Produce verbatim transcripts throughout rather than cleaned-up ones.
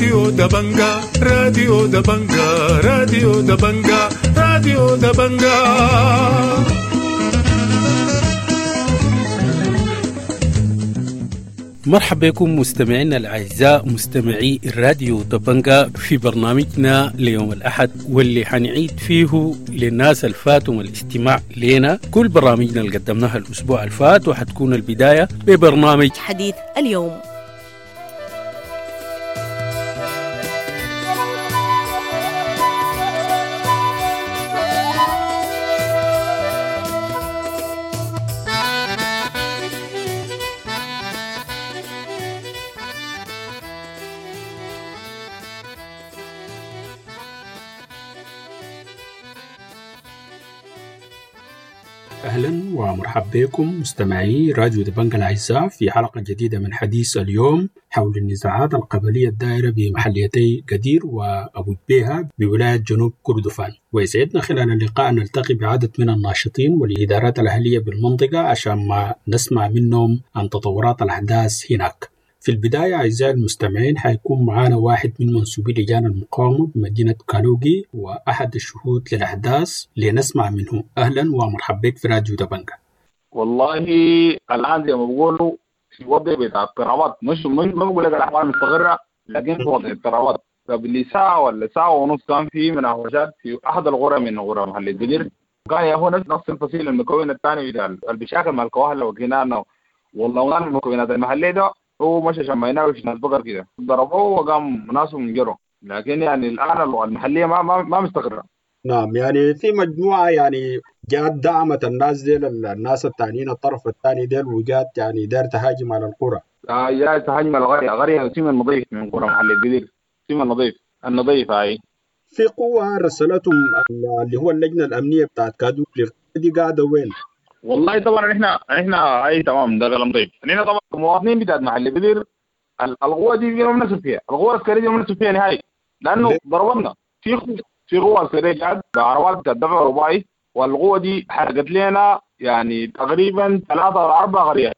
راديو دبنجا راديو دبنجا راديو دبنجا راديو دبنجا. مرحبا بكم مستمعينا الأعزاء مستمعي الراديو دبنجا في برنامجنا ليوم الأحد، واللي حنعيد فيه للناس الفاتهم الاستماع لنا كل برامجنا اللي قدمناها الأسبوع الفات، وحتكون البداية ببرنامج حديث اليوم. أهلا ومرحبا بكم مستمعي راديو دبنجا الأعزاء في حلقة جديدة من حديث اليوم حول النزاعات القبلية الدائرة بمحليتي قدير وأبو جبيهة بولاية جنوب كردفان. ويسعدنا خلال اللقاء نلتقي بعدد من الناشطين والإدارات الأهلية بالمنطقة عشان ما نسمع منهم عن تطورات الأحداث هناك. في البداية أعزائي المستمعين حيكون معنا واحد من منسوبي لجان المقاومة بمدينة كالوغي وأحد الشهود للأحداث لنسمع منه. أهلا ومرحبا بك في راديو دبنجا. والله الآن زي ما بقولوا في وضع بتاع اضطرابات، مش مش ما بقول لك الأحوال مستقرة، لكن في وضع اضطرابات. قبل ساعة ولا ساعة ونص كان في مناوشات في أحد القرى من قرى محل الدجر، كان يا هو نفس الفصيل المكون الثاني بتاع البشاكل مع الكواهلة وكنانة والله المكونات المحلية ده هو مشى عشان ما يناوش ناس بقر كده ضربوه وقام ناسهم جروا، لكن يعني الآن المحلية ما ما ما مستقرة. نعم، يعني في مجموعة يعني جات دعمت الناس ديل الناس الثانيين الطرف الثاني ديل، وجات يعني دار تهاجم على القرى. آه جات تهاجم على القرية، قرية سيما النظيف من قرى محل الجديد، سيما النظيف النظيف هاي. في قوة رسلتهم اللي هو اللجنة الأمنية بتاعت كادوكلي دي قاعدة وين؟ والله طبعا احنا احنا اي تمام ده كلام طيب. احنا طبعا المواطنين بتاعت محل بدير القوة دي ما بنثق فيها، القوة العسكرية دي ما بنثق فيها نهائي، لانه ضربنا في في قوة عسكرية جات بعربات بتاعت دفع رباعي، والقوه دي حرقت لنا يعني تقريبا ثلاثة او اربع قريات،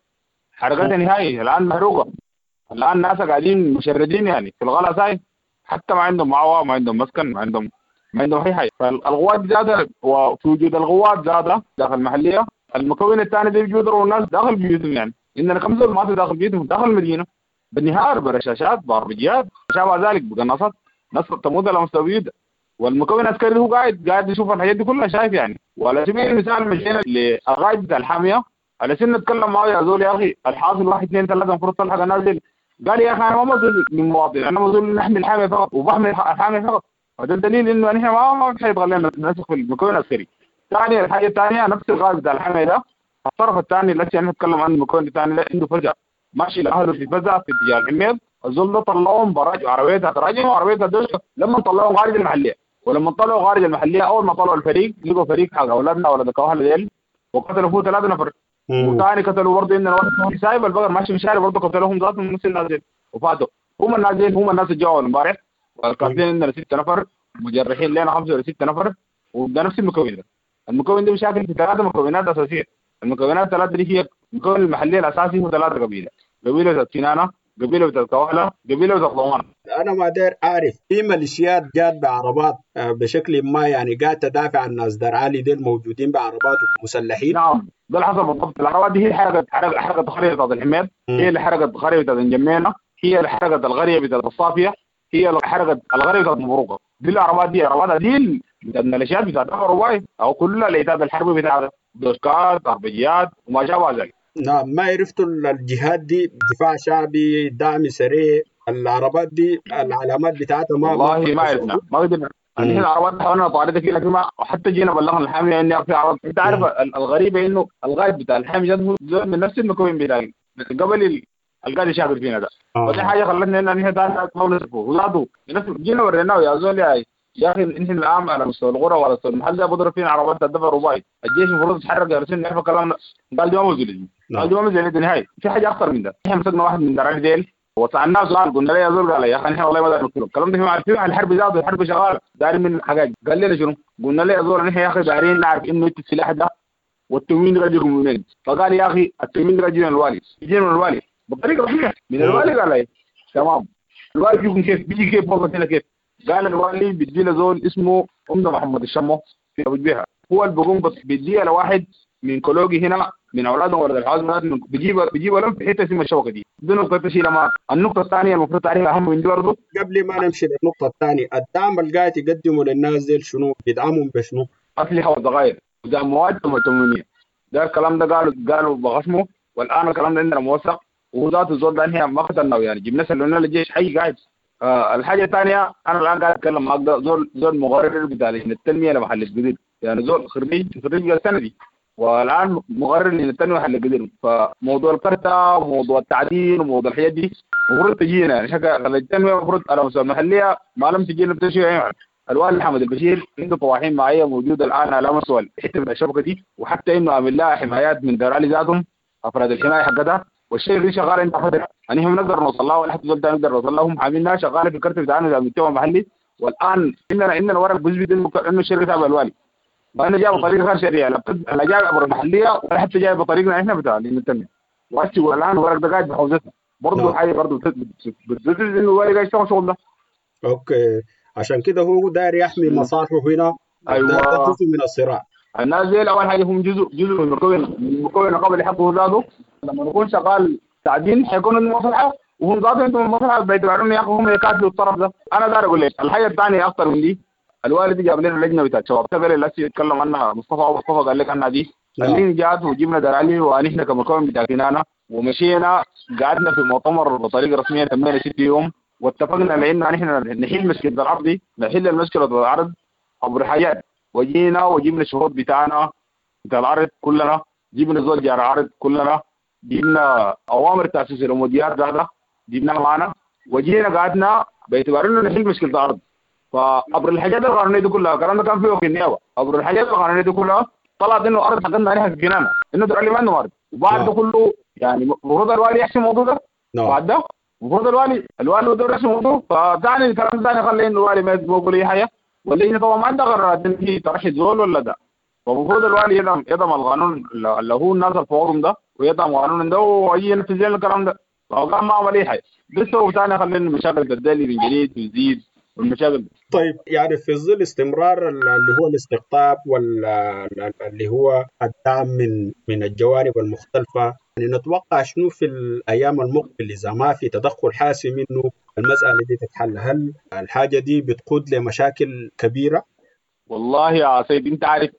حرقتها نهائي الان محروقة. الان الناس قاعدين مشردين يعني في الغلا ساي، حتى ما عندهم معوى، ما عندهم مسكن، ما عندهم ما عندهم اي حاجة. فالقوات زادت، وفي وجود القوات زادت داخل المحلية. المكون الثاني ده بيجوا الناس داخل بيوتهم، يعني عندنا خمسة ما داخل بيوتهم داخل المدينة بالنهار برشاشات باربجيات شابه ذلك بقناصات، ناس تموت على مستوى. والمكون العسكري هو قاعد قاعد يشوف الحاجات دي كلها شايف يعني. وعلى سبيل المثال مشينا للغاية بتاع الحامية على سن نتكلم معه، يا زول يا اخي الحاصل واحد اثنين ثلاثة المفروض تلحق الناس دي. قال يا اخي انا ما مسؤول من مواطن، انا مسؤول نحمي الحامية فقط وبحمي الحامية فقط. هذا دليل انه نحن ما ما حيبغى لنا نثق في المكون العسكري. ثاني الحاجة الثانية نفس الغاز بتاع الحماية ده، الطرف الثاني اللي احنا نتكلم عنه المكون الثاني ده عنده فزع ماشي لاهله في فزع في اتجاه الحميد، الزول ده طلعوهم براج عربيتها تراجم وعربيتها دوشه. لما طلعوهم خارج المحلية، ولما طلعوا خارج المحلية اول ما طلعوا الفريق لقوا فريق حق اولادنا اولاد الكواهله ديل وقتلوا فيه ثلاثة نفر، وثاني قتلوا برضه عندنا واحد سايب البقر ماشي في الشارع برضه قتلوهم ذاتهم نفس الناس ديل وفاتوا. هم الناس ديل هم الناس اللي جوا امبارح، والقاتلين عندنا ستة نفر، مجرحين لنا خمسة ولا ستة نفر، وده نفس المكون ده. المكون ده مشاكل في ثلاثة مكونات أساسية. المكونات الثلاثة دي هي المكون المحلي الأساسي هو ثلاثة قبيلة، قبيلة بتاعت كنانة، قبيلة بتاعت كواهلة، قبيلة بتاعت ضمان. أنا ما داير أعرف في ميليشيات جات بعربات بشكل ما يعني قاعدة تدافع عن الناس دار عالي ديل موجودين بعربات مسلحين. نعم ده اللي حصل بالضبط. العربات دي هي حرقت حرقت حرقت قرية بتاعت الحميد، هي اللي حرقت قرية بتاعت الجمينة، هي اللي حرقت القرية بتاعت الصافية، هي اللي حرقت القرية بتاعت مبروكة. دي العربات دي عربات دي الميليشيات بتاعت الرباعي او كل العتاد الحربي بتاع دوشكات عربيات وما شابه ذلك. نعم، ما عرفتوا الجهات دي دفاع شعبي دعم سريع العربات دي العلامات بتاعتها ما والله ما عرفنا ما قدرنا. نحن العربات حاولنا نطاردها كده لكن ما حتى جينا بلغنا الحامية اني في عربات. انت عارف الغريبة انه الغايب بتاع الحامية هو من نفس المكون بتاعي قبل القاعد يشاغل فينا ده. ودي حاجة خلتنا ان نحن ما نصرفه ولاده جينا وريناه يا زول يا يا اخي نحن الان على مستوى القرى وعلى مستوى المحل ده بضرب فينا عربات الدفع الرباعي، الجيش المفروض يتحرك يا رسول نعرف كلامنا. قال دي ما موجود، قال دي ما موجود نهائي. في حاجة اخطر من ده، احنا مسكنا واحد من دراعي ديل وسالناه سؤال قلنا له يا زول، قال يا اخي نحن والله ما دارين نقتله، الكلام ده في عارفين الحرب ذاته الحرب شغالة دارين من حاجات. قال لنا شنو؟ قلنا له يا زول نحن يا اخي دارين نعرف انه انت السلاح ده والتموين ده يجيكم من وين؟ فقال يا اخي التموين ده يجي من الوالي، يجي من الوالي بطريقة رسمية من الوالي. قال لي تمام. الوالي بيكون كيف بيجي كيف وصلت هنا كيف؟ قال الوالي بيدي له زول اسمه عمده محمد الشمو في ابو جبيهه، هو اللي بيقوم بيديها لواحد من كولوجي هنا من اولادهم ولد الحازم، بيجيب بيجيب لهم في حتة اسمها الشبكة دي. دي نقطة تشيلها معك. النقطة الثانية المفروض تعرفها اهم من دي برضه قبل ما نمشي للنقطة الثانية، الدعم اللي قاعد يقدمه للناس دي شنو؟ بيدعمهم بشنو؟ اسلحة وذخائر ودعم مواد تموينيه. ده الكلام ده قالوا قالوا بخصمه، والان الكلام ده عندنا موثق، وذات الزول ده هي ما قتلناه يعني، جبنا سلمنا للجيش حي قاعد. آه الحاجة الثانية انا الان قاعد اتكلم معك ده زول زول مغرر بتاع لجنة التنمية لمحل الجديد، يعني زول خريج خريج السنة دي والان مغرر لجنة التنمية محل الجديد. فموضوع الكرته وموضوع التعدين وموضوع الحاجات دي المفروض تجينا يعني، شكل التنمية المفروض على مستوى المحلية ما لم تجينا بتشيء يعني. الوالي حمد البشير عنده طواحين معايا موجودة الان على مستوى حتة من الشبكة دي، وحتى انه عامل لها حمايات من دار علي ذاتهم افراد الحماية حقتها، والشيء اللي شغال عند فترة يعني هم نقدر نوصل لها ولا حتى زول نقدر نوصل لهم، عاملينها شغالة في الكرت بتاعنا بتاع المجتمع المحلي. والان عندنا عندنا ورق بيثبت انه انه الشركة تابعه الوالي، فانا جاي بطريقة غير شرعية، لا جاي عبر المحلية ولا حتى جاي بطريقنا احنا بتاع التنمية. والان الورق ده قاعد بحوزتنا برضه، حاجة برضه بتثبت انه الوالي قاعد يشتغل شغل ده. okay، عشان كده هو داير يحمي مصالحه هنا. ايوه، ده جزء من الصراع. الناس دي اول حاجة هم جزء جزء من مكون من مكون قبل حقه ذاته. لما نكون شغال تعدين حيكون عندهم مصلحة، وهم ذاتهم عندهم مصلحة باعتبار انه يا اخي هم يكاتلوا الطرف ده. انا داير اقول لك الحاجة الثانية اخطر من دي، الوالد جاب لنا لجنة بتاعت شباب تبع اللي يتكلم عنها مصطفى مصطفى قال لك عنها دي، اللجنة جات وجبنا دار علي ونحن كمكون بتاع كنانة، ومشينا قعدنا في مؤتمر بطريقة رسمية تمينا ست يوم، واتفقنا لان نحن نحل مشكلة الارض دي، نحل المشكلة الارض عبر حاجات. وجينا وجبنا الشروط بتاعنا بتاع العرض كلنا، جبنا زول جار عرض كلنا، جبنا اوامر تاسيس الاموديات هذا جبناها معنا، وجينا قعدنا باعتبار انه نحل مشكلة الارض. فعبر الحاجات القانونية دي كلها، الكلام ده كان فيه في النيابة، عبر الحاجات القانونية دي كلها طلعت انه ارض حقتنا عليها في الجنانه، انه دار ما عندهم ارض. وبعد ده كله يعني المفروض الوالي يحسم الموضوع ده. بعد ده المفروض الوالي الوالي بده يحسم الموضوع. فتاني الكلام ثاني خلى انه الوالي ما يقول اي حاجة، واللجنة طبعا ما عندها قرارات ان هي ترشد زول ولا ده. فالمفروض الوالي يدعم يدعم القانون اللي هو الناس الفورم ده، ويدعم قانون ده ويجي ينفذ لنا الكلام ده. فقام ما عمل اي حاجة. لسه ثاني خلينا المشاكل تدلي من جديد وتزيد والمشاكل. طيب يعني في ظل استمرار اللي هو الاستقطاب واللي هو الدعم من من الجوانب المختلفة، يعني نتوقع شنو في الايام المقبلة اذا ما في تدخل حاسم انه المسالة دي تتحل؟ هل الحاجة دي بتقود لمشاكل كبيرة؟ والله يا سيد انت عارف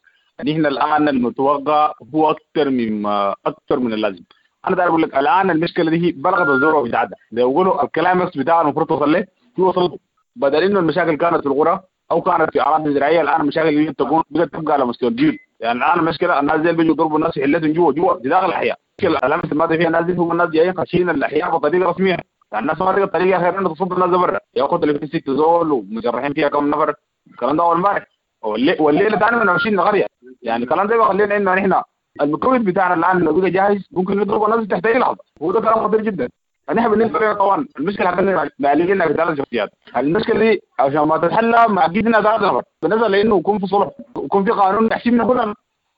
نحن الان المتوقع هو اكثر مما اكثر من اللازم. انا داير اقول لك الان المشكلة دي بلغت الذروة بتاعتها، زي ما بيقولوا الكلام بتاع المفروض توصل له هو وصلته. بدل انه المشاكل كانت في القرى او كانت في اراضي زراعية، الان المشاكل دي تكون بدات تبقى على مستوى الجيل. يعني الان المشكلة الناس دي بيجوا يضربوا الناس في حلتهم جوا جوا في داخل الاحياء. المشكلة الامس الماضي فيها الناس دي هم الناس جايين خاشين الاحياء بطريقة رسمية، يعني الناس ما لقت طريقه غير انه تصد الناس برا، ياخذ اللي في ست زول ومجرحين فيها كم نفر. الكلام ده اول امبارح والليلة ثاني من عشرين قرية. يعني الكلام ده بيخلينا انه نحن المكون بتاعنا الان لو بقى جاهز ممكن نضرب الناس تحت اي لحظة، وده كلام خطير جدا. نحن بالنسبة لنا طبعا المشكلة حقتنا معلقين في ثلاث شخصيات، المشكلة دي عشان ما تتحلى ما اكيد انها ثلاث نفر، بالنسبة لانه يكون في صلح ويكون في قانون يحسبنا كلنا،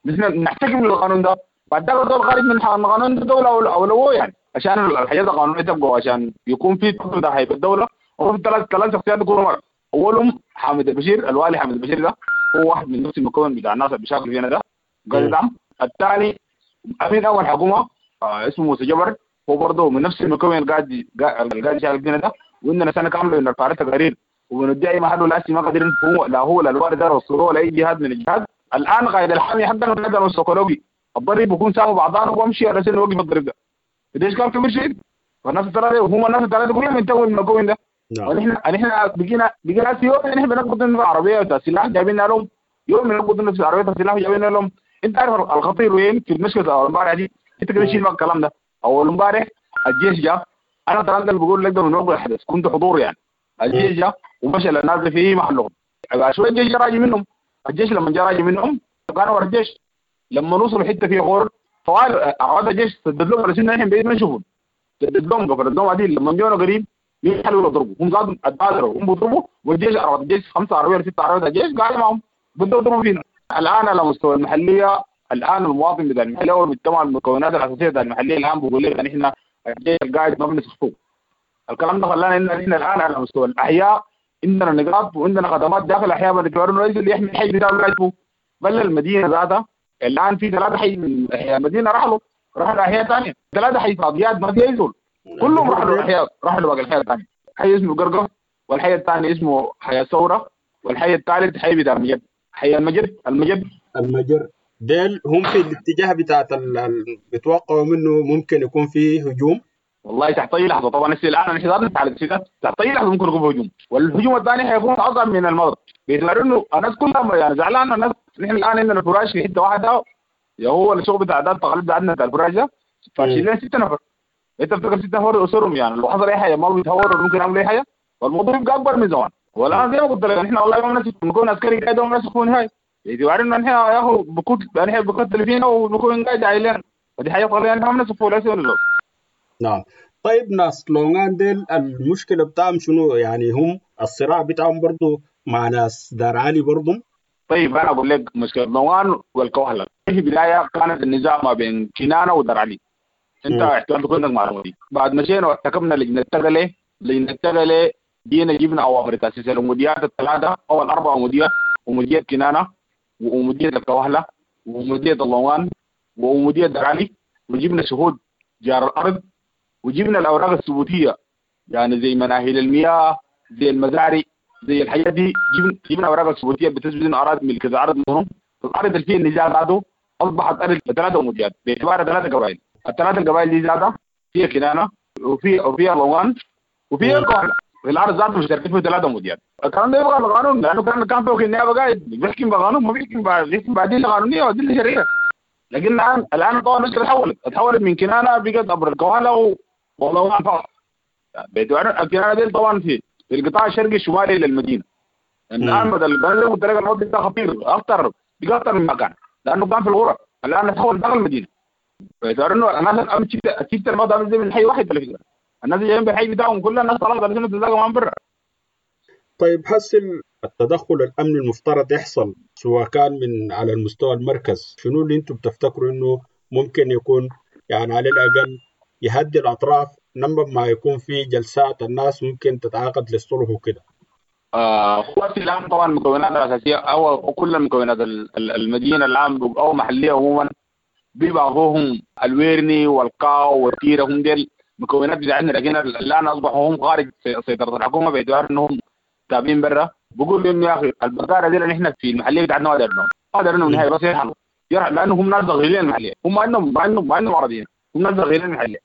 نحن نحتكم للقانون ده، بعد ده الدول خارج من القانون ده دولة اولوية يعني عشان الحاجات القانونية تبقى، عشان يكون في ده هيبقى الدولة. وفي ثلاث ثلاث شخصيات يكونوا مرة. اولهم حامد البشير، الوالي حامد البشير ده هو واحد من نفس المكون بتاع الناس اللي بيشتغلوا فينا ده قال يدعم. الثاني امين اول حكومة آه اسمه موسى جبر، هو برضه من نفس المكون اللي قاعد اللي قاعد يشتغل فينا ده، وعندنا سنة كاملة بنرفع تقارير وبندعي محله لا ما قادرين هو لا هو لا الوالي ده وصلوه ولا اي جهاد من الجهاد. الان قائد الحامي حقنا قاعد السيكولوجي الضرب بيكون سامة بعضان وبمشي على سنة وقف الضرب ده ليش كان كبير شيء. فالناس الثلاثة وهم الناس الثلاثة كلهم ينتهوا من المكون ده. ونحن نحن بقينا بقينا في يوم نحن بنقبض لنا العربية بتاع السلاح جايبين لهم، يوم بنقبض لنا العربية بتاع السلاح جايبين لهم. انت عارف الخطير وين في المشكلة امبارح دي؟ انت كده شيل الكلام ده. اول امبارح الجيش جاء، انا ترى اللي بقول لك ده من وقت الحدث كنت حضور يعني. الجيش جاء ومشى للناس في محلهم، شوية الجيش جاء راجع منهم. الجيش لما جاء راجع منهم كانوا ورا الجيش، لما وصلوا حتة فيها غور طوال عاد الجيش سدد لهم على سنة نحن بعيد ما نشوفهم، سدد لهم قفلت لهم عديل. لما جونا قريب يحلوا يضربوا، هم زادوا اتبادروا هم بيضربوا، والجيش عربات الجيش خمسة عربية ستة عربيات الجيش قاعد معهم بدوا يضربوا فينا. الان على مستوى المحلية الان المواطن بتاع المحلية والمجتمع المكونات الاساسية بتاع المحلية الان بيقول لك نحن الجيش القاعد ما بنسخطوه، الكلام ده خلانا ان احنا الان على مستوى الاحياء عندنا نقاط وعندنا خدمات داخل الاحياء باعتبار انه اللي يحمي الحي بتاعه لا، بل المدينة ذاتها الان في ثلاثة حي من احياء المدينة رحلوا رحلوا احياء ثانية، ثلاثة حي فاضيات ما في اي زول، كلهم رحلوا احياء، رحلوا باقي الحي الثاني، حي اسمه قرقه، والحي الثاني اسمه حي الثورة، والحي الثالث حي بتاع المجد، حي المجد المجد المجر. ديل هم في الاتجاه بتاعت ال... بيتوقعوا منه ممكن يكون فيه هجوم. والله تحت اي لحظة طبعا هسه الان نحن ذاتنا على السيدات تحت اي لحظة ممكن يكون هجوم، والهجوم الثاني حيكون اصعب من الماضي باعتبار انه الناس كلها يعني زعلانة. الناس نحن الان عندنا فراش في حتة واحدة، يا هو الشغل بتاع ده التقاليد بتاعتنا بتاع الفراش ده فاشيلين لنا ستة نفر، انت بتفكر ستة نفر اسرهم يعني لو حصل اي حاجة ما بيتهوروا ممكن يعملوا اي حاجة، والموضوع يبقى اكبر من زمان. والان زي ما قلت لك نحن والله ما بنثق نكون عسكري قاعد وما بنثق نهائي، باعتبار انه نحن يا اخو بكون نحن بكتل فينا وبكون قاعد عيلنا، ودي حاجة طبيعية نحن ما بنثق ولا. نعم. طيب ناس لونغان ديل المشكلة بتاعهم شنو؟ يعني هم الصراع بتاعهم برضو مع ناس دار علي برضو؟ طيب أنا أقول لك مشكلة لونغان والكوهلة في البداية كانت النزاع ما بين كنانة ودار علي، أنت احتمال تكون عندك معلومة دي. بعد مشينا واحتكمنا لجنة التغلي، لجنة التغلي جينا جبنا أوامر تأسيس الأموديات الثلاثة أو الأربع أموديات، أمودية كنانة وأمودية الكوهلة وأمودية اللونغان وأمودية دار علي، وجبنا شهود جار الأرض، وجبنا الاوراق الثبوتيه يعني زي مناهل المياه زي المزارع زي الحاجات دي، جبنا جبنا اوراق الثبوتيه بتثبت انه اراضي ملك الارض منهم. الارض اللي فيها النزاع ذاته اصبحت ارض ثلاثة أموديات باعتبارها ثلاثة قبائل، الثلاثة القبائل دي ذاتها فيها كنانة وفي وفيها لونغان وفيها الكوهلة، الارض ذاته مشتركين فيها ثلاثة أموديات. الكلام ده يبغى بقانون، لانه كان كان فوق النيابة قاعد بيحكم بقانون، ما بيحكم بيحكم بادلة قانونية وادلة شرعية. لكن الان الان طبعا المشكلة تحولت تحولت من كنانة بقت ابر الكوهلة والله ما فقط باعتبار الكنانه دي طبعا في في القطاع الشرقي الشمالي للمدينة. الان بدل بدل قلت لك الموضوع ده خطير اخطر بقى اكثر من مكان، لانه كان في الغرف، الان تحول داخل المدينة. باعتبار انه الناس الان شفت الموضوع ده من حي واحد على فكرة، الناس جايين بالحي بتاعهم كلها الناس طلعت على تتلاقى معهم برا. طيب هسه التدخل الامني المفترض يحصل سواء كان من على المستوى المركز، شنو اللي انتم بتفتكروا انه ممكن يكون يعني على الاقل يهدي الاطراف لما ما يكون في جلسات الناس ممكن تتعاقد للصلح وكده؟ آه هو الان طبعا المكونات الاساسية او كل المكونات المدينة الان او محليه عموما بيبقى الويرني والقاو والتيره، هم ديل مكونات بتاعتنا، لكن الان اصبحوا هم خارج سيطرة الحكومة باعتبار انهم تابعين برا. بقول انه يا اخي البقاره دي اللي احنا في المحلية بتاعتنا ما دارناهم ما دارناهم نهائي، بس يرحلوا يرحلوا لانه هم ناس داخلين المحلية، هم ما عندهم ما عندهم ما عندهم عربيين، هم ناس داخلين المحلية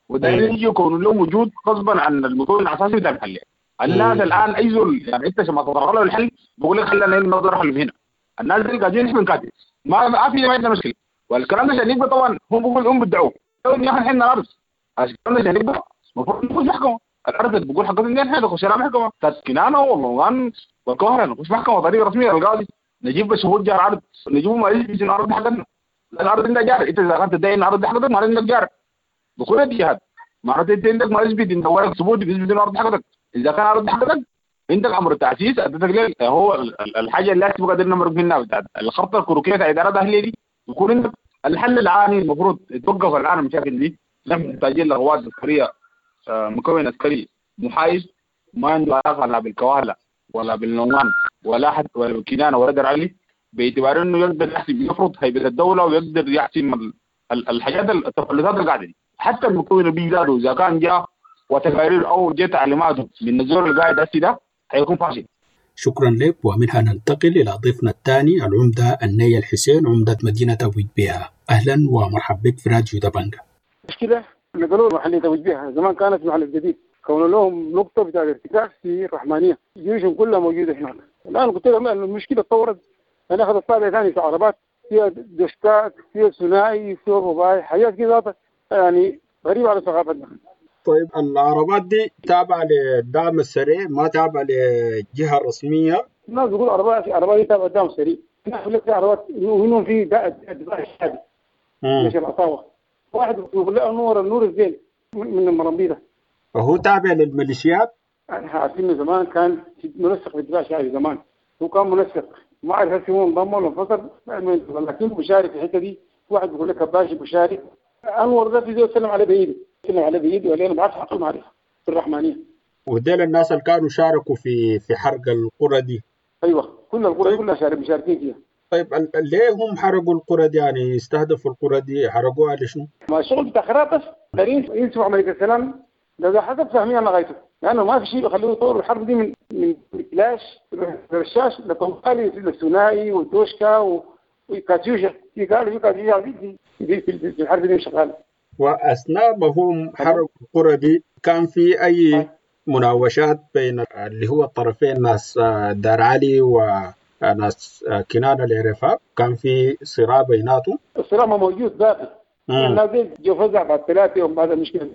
ودايرين يجوا يكونوا لهم وجود غصبا عن المكون الاساسي بتاع المحلية. الناس الان اي زول يعني انت عشان ما تطرق له الحل بقول لك خلينا نقدر نحل هنا، الناس دي قاعدين نحن بنكاتب ما ما في ما عندنا مشكلة. والكلام ده عشان يبقى طبعا هم بيقولوا هم بيدعوا يا اخي احنا الارض، عشان الكلام ده عشان يبقى المفروض نخش محكمة، الارض اللي بقول حقتنا نحن نخش لها محكمة بتاعت كنانة والله والقاهره، نخش محكمة طريقه رسمية للقاضي، نجيب شهود جار عرض، نجيب ما يثبت ان الارض حقتنا، الارض عندها جار، انت اذا كنت تدعي ان الارض حقتك معناته عندك جار دخول الجهاد، معناته انت عندك ما يثبت ان ورق ثبوت بيثبت ان الارض حقتك، اذا كان الارض حقتك عندك امر التاسيس ادتك ليه هو الحاجة اللي لازم قادرين نمرق منها بتاعت الخرطة الكروكيه بتاع ادارات اهليه دي. يكون عندك الحل العاني المفروض يتوقف الان المشاكل دي، نحن محتاجين لقوات عسكرية مكون عسكري محايد ما عنده علاقة لا بالكواهله ولا بالنومان ولا حتى ولا بالكنانه ولا در علي، باعتبار انه يقدر يحسب يفرض هيبة الدولة ويقدر يحسم الحاجات التفلتات القاعدة دي. حتى المكون اللي بيزادوا اذا كان جاء وتقارير او جاء تعليماته من الزول القاعد هسي ده حيكون فاشل. شكرا لك. ومنها ننتقل الى ضيفنا الثاني العمدة النية الحسين عمده مدينة ابو جبيهه. اهلا ومرحبا بك في راديو دبنجة. مشكلة نقلوا محلية ابو جبيهه زمان كانت محل الجديد، كون لهم نقطة بتاع الارتكاز في الرحمانيه، جيوشهم كلها موجودة هناك. الان قلت لهم المشكلة تطورت، انا اخذت طابع ثاني في عربات فيها دشكات فيها ثنائي فيها رباعي، حاجات كذا يعني غريبة على ثقافتنا. طيب العربات دي تابعة للدعم السريع ما تابعة للجهة الرسمية؟ الناس بيقول عربات عربات دي تابعة للدعم السريع، الناس بيقول لك في عربات ومنهم في الدفاع الشعبي مش العصابة، واحد بيقول له نور النور الزين من المرمبيطة. وهو تابع للميليشيات؟ احنا عارفين زمان كان منسق في الدفاع الشعبي زمان، هو كان منسق ما اعرف هل هو انضم ولا انفصل، لكن مشارك في الحتة دي. واحد بيقول لك باشي مشارك، انور ده في زول سلم عليه بايده، سلم عليه بايده وقال انا ما بعرفش حقه معرفة. في الرحمانيه. وديل الناس اللي كانوا شاركوا في في حرق القرى دي. ايوه كل القرى كلها شارك مشاركين فيها. طيب ليه هم حرقوا القرى دي؟ يعني استهدفوا القرى دي حرقوها لشنو؟ ما الشغل بتاع خراب بس دارين ينسوا عملية السلام ده, ده حسب فهمي انا غايته، لانه ما في شيء بيخليه يطوروا الحرب دي من من كلاش رشاش لطوالي للثنائي والدوشكا وكاتيوشا. في قالوا في كاتيوشا دي في, في, في الحرب دي شغالة. واثناء ما هم حرقوا القرى دي كان في اي مناوشات بين اللي هو الطرفين ناس دار علي وناس كنانة العرفاء؟ كان في صراع بيناتهم؟ الصراع ما موجود باقي. الناس دي جو فزع بعد ثلاثة يوم بعد المشكلة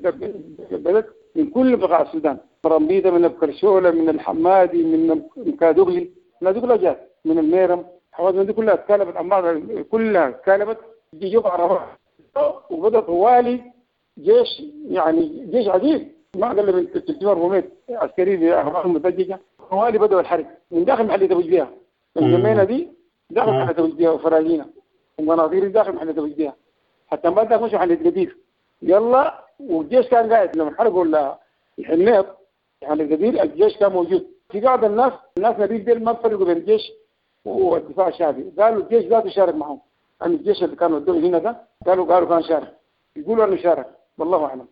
بدأت من كل بقاع السودان، مرمبيطة من الكرشولة من الحمادي من كادوغلي، الناس دي كلها جات من الميرم، الحوادث دي كلها اتكالبت عن بعض، كلها اتكالبت جو عربات وبدأ طوالي جيش، يعني جيش عديد ما اقل من ثلاثمئة وأربعمئة عسكري باخبار مدججه. طوالي بدأوا الحرب من داخل محلية ابو جبيهة، الجمينة دي داخل محلية ابو جبيهة وفراجينا ومناظير داخل محلية ابو جبيهة، حتى ما داخل مشوا محلية قدير. يلا والجيش كان قاعد لما حرقوا الحميط محلية قدير الجيش كان موجود. في بعض الناس الناس نبيل ديل ما فرقوا بين الجيش والدفاع الشعبي، قالوا الجيش ذاته شارك معهم، يعني الجيش اللي كانوا ودوه هنا ده قالوا قالوا كان شارك، يقولوا انه شارك والله اعلم.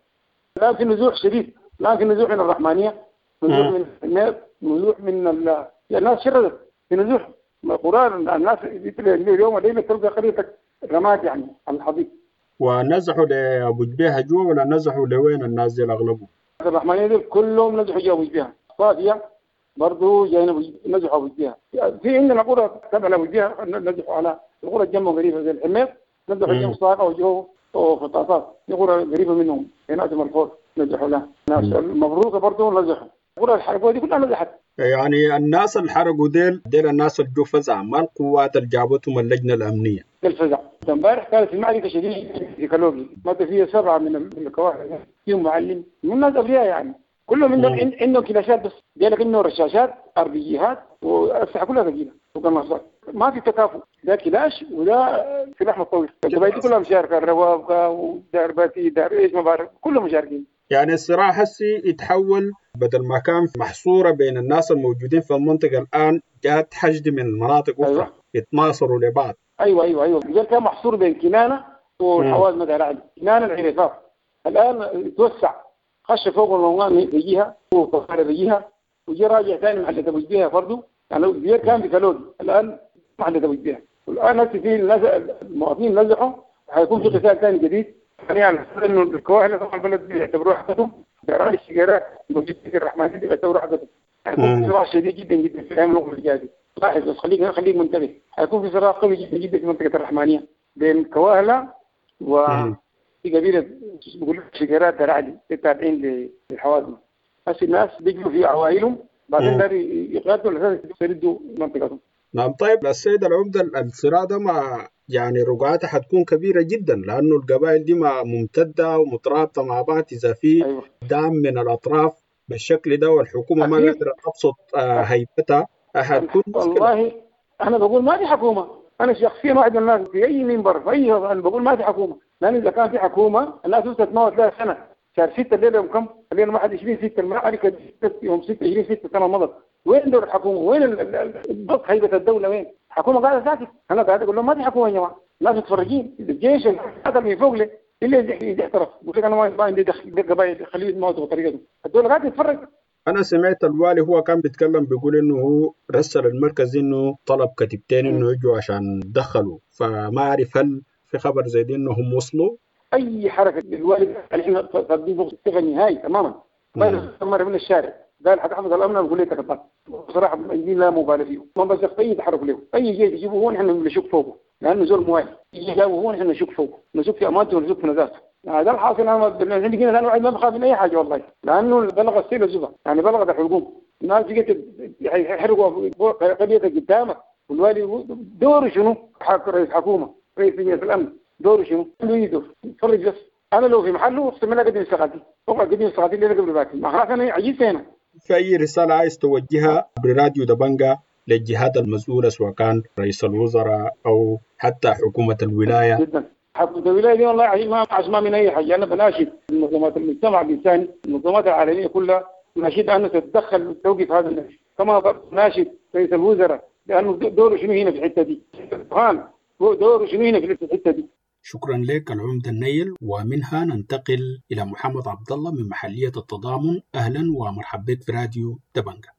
الان في نزوح شديد، الان في نزوح من الرحمانيه، نزوح من الحميط، نزوح من ال... الناس شردت في نزوح القرى. الناس اليوم الليلة تلقى قريتك رماد يعني على الحضيض. ونزحوا لابو جبيهة جوا ولا نزحوا لوين الناس دي الاغلبهم؟ الرحمانيه دي كلهم نزحوا جوا ابو جبيهة، صافية برضه جايين نزحوا ابو جبيهة. في عندنا قرى تبع لابو جبيهة نزحوا على القرى جنبهم قريبه زي الحميط، نزحوا جنب صاقه وجو وفطاطات، في قرى قريبه منهم هنا الفور نزحوا لها. ناس المبروكه برضه نزحوا، قرى الحرقوه دي كلها نزحت. يعني الناس اللي حرقوا ديل ديل الناس اللي جو فزع، ما القوات اللي جابتهم اللجنة الامنية. الفزع امبارح كانت المعركة شديدة في كالوغي، مات فيها سبعة من الكواهله، فيهم معلم من الناس ابرياء يعني، كلهم عندهم عندهم كلاشات بس، ديلك انه رشاشات ار بي جيهات واسلحه كلها ثقيلة وقناصات، ما في تكافؤ، ده كلاش وده سلاح متطور، القبائل دي كلها مشاركة، الروابقه ودار باتي دار ايش ما بعرف كلهم مشاركين. يعني الصراع هسي يتحول بدل ما كان محصورة بين الناس الموجودين في المنطقة الان جات حشد من مناطق اخرى. أيوة. يتناصروا لبعض. ايوه ايوه ايوه الرجال كان محصور بين كنانة والحوازمه دار علي، كنانة العريفات الان توسع، خش فوق الموان بيجيها وطفاره بيجيها وجي راجع ثاني محل ابو جبيهة برضه، يعني البير كان في كالوغي الان محل ابو جبيهة، والان هسه في المواطنين نزحوا، حيكون في قتال ثاني جديد. يعني انه الكواهله طبعا البلد بيعتبروها حقتهم، دار الشجيرات موجود في الرحمن دي بيعتبروها حقتهم. حيكون في صراع شديد جدا جدا في الايام القريبة الجاية، لاحظ بس خليك خليك منتبه، حيكون في صراع قوي جدا جدا في منطقة الرحمانيه بين كواهله و في قبيلة بيقولوا شجيرات دار علي التابعين للحوازمه. هسه الناس بيجوا في عوائلهم بعدين دار يقاتلوا على اساس يردوا منطقتهم. نعم. طيب السيد العمدة الصراع ده مع يعني رقعتها حتكون كبيرة جدا، لأنه القبائل دي ما ممتدة ومترابطة مع بعض، إذا في أيوة. دعم من الأطراف بالشكل ده والحكومة ما قادرة تبسط هيبتها حتكون مشكلة. والله أنا بقول ما في حكومة، أنا شخصيا واحد من الناس في أي منبر في أي أنا بقول ما في حكومة، لأن إذا كان في حكومة الناس تتموت لها سنة، شهر ستة الليلة يوم كم؟ الليلة واحد وعشرين ستة المعركة يوم ستة وعشرين ستة سنة مضت، وين دور الحكومة؟ وين ضبط هيبة الدولة؟ وين؟ الحكومة قاعدة ساكت، أنا قاعد أقول لهم ما في حكومة يا جماعة، الناس متفرجين، الجيش هذا من فوق لي اللي اعترف، يقول لك أنا ما عندي دخل قبائل خليه يتموتوا بطريقته، الدولة قاعدة تتفرج. أنا سمعت الوالي هو كان بيتكلم بيقول إنه هو رسل المركز إنه طلب كتيبتين إنه يجوا عشان دخلوا، فما أعرف هل في خبر زي دي إنهم وصلوا؟ أي حركة للوالي احنا صادقين الثقة النهائي تماما، ما مرة من الشارع قال حتحفظ الامن نقول لك تكبر، بصراحة دي لا مبالغه فيه، ما بس اي تحرك له، اي جيش يجيبه هو نحن نشك فوقه، لانه زول موالي، يجي جابه هو نحن نشك فوقه، نشك في امانته ونشك في نزاهته. هذا الحاصل. انا عندي هنا واحد ما بخاف من اي حاجة والله، لانه بلغ السيل الزبا، يعني بلغت الحلقوم، الناس بقت يحرقوا قريتك قدامك، والوالي دوره شنو؟ رئيس حكومة، رئيس لجنة الامن، دوره شنو؟ عنده يده يتفرج بس. انا لو في محله اقسم بالله قدم استقالتي، اقعد قدم استقالتي اللي قبل باكر، ما خلاص انا عجزت هنا. في أي رسالة عايز توجهها براديو دبنجا للجهات المسؤولة سواء كان رئيس الوزراء أو حتى حكومة الولاية؟ جدا. حكومة الولاية دي والله ما عشمان من اي حاجة. انا بناشد منظمات المجتمع الانساني، المنظمات العالمية كلها، ناشد انه تتدخل وتوقف هذا النهج، كما ناشد رئيس الوزراء لانه دوره شنو هنا في الحتة دي؟ دوره شنو هنا في الحتة دي؟ شكرا لك العمدة النيل. ومنها ننتقل إلى محمد عبد الله من محلية التضامن. أهلا ومرحبا بك في راديو دبنجة.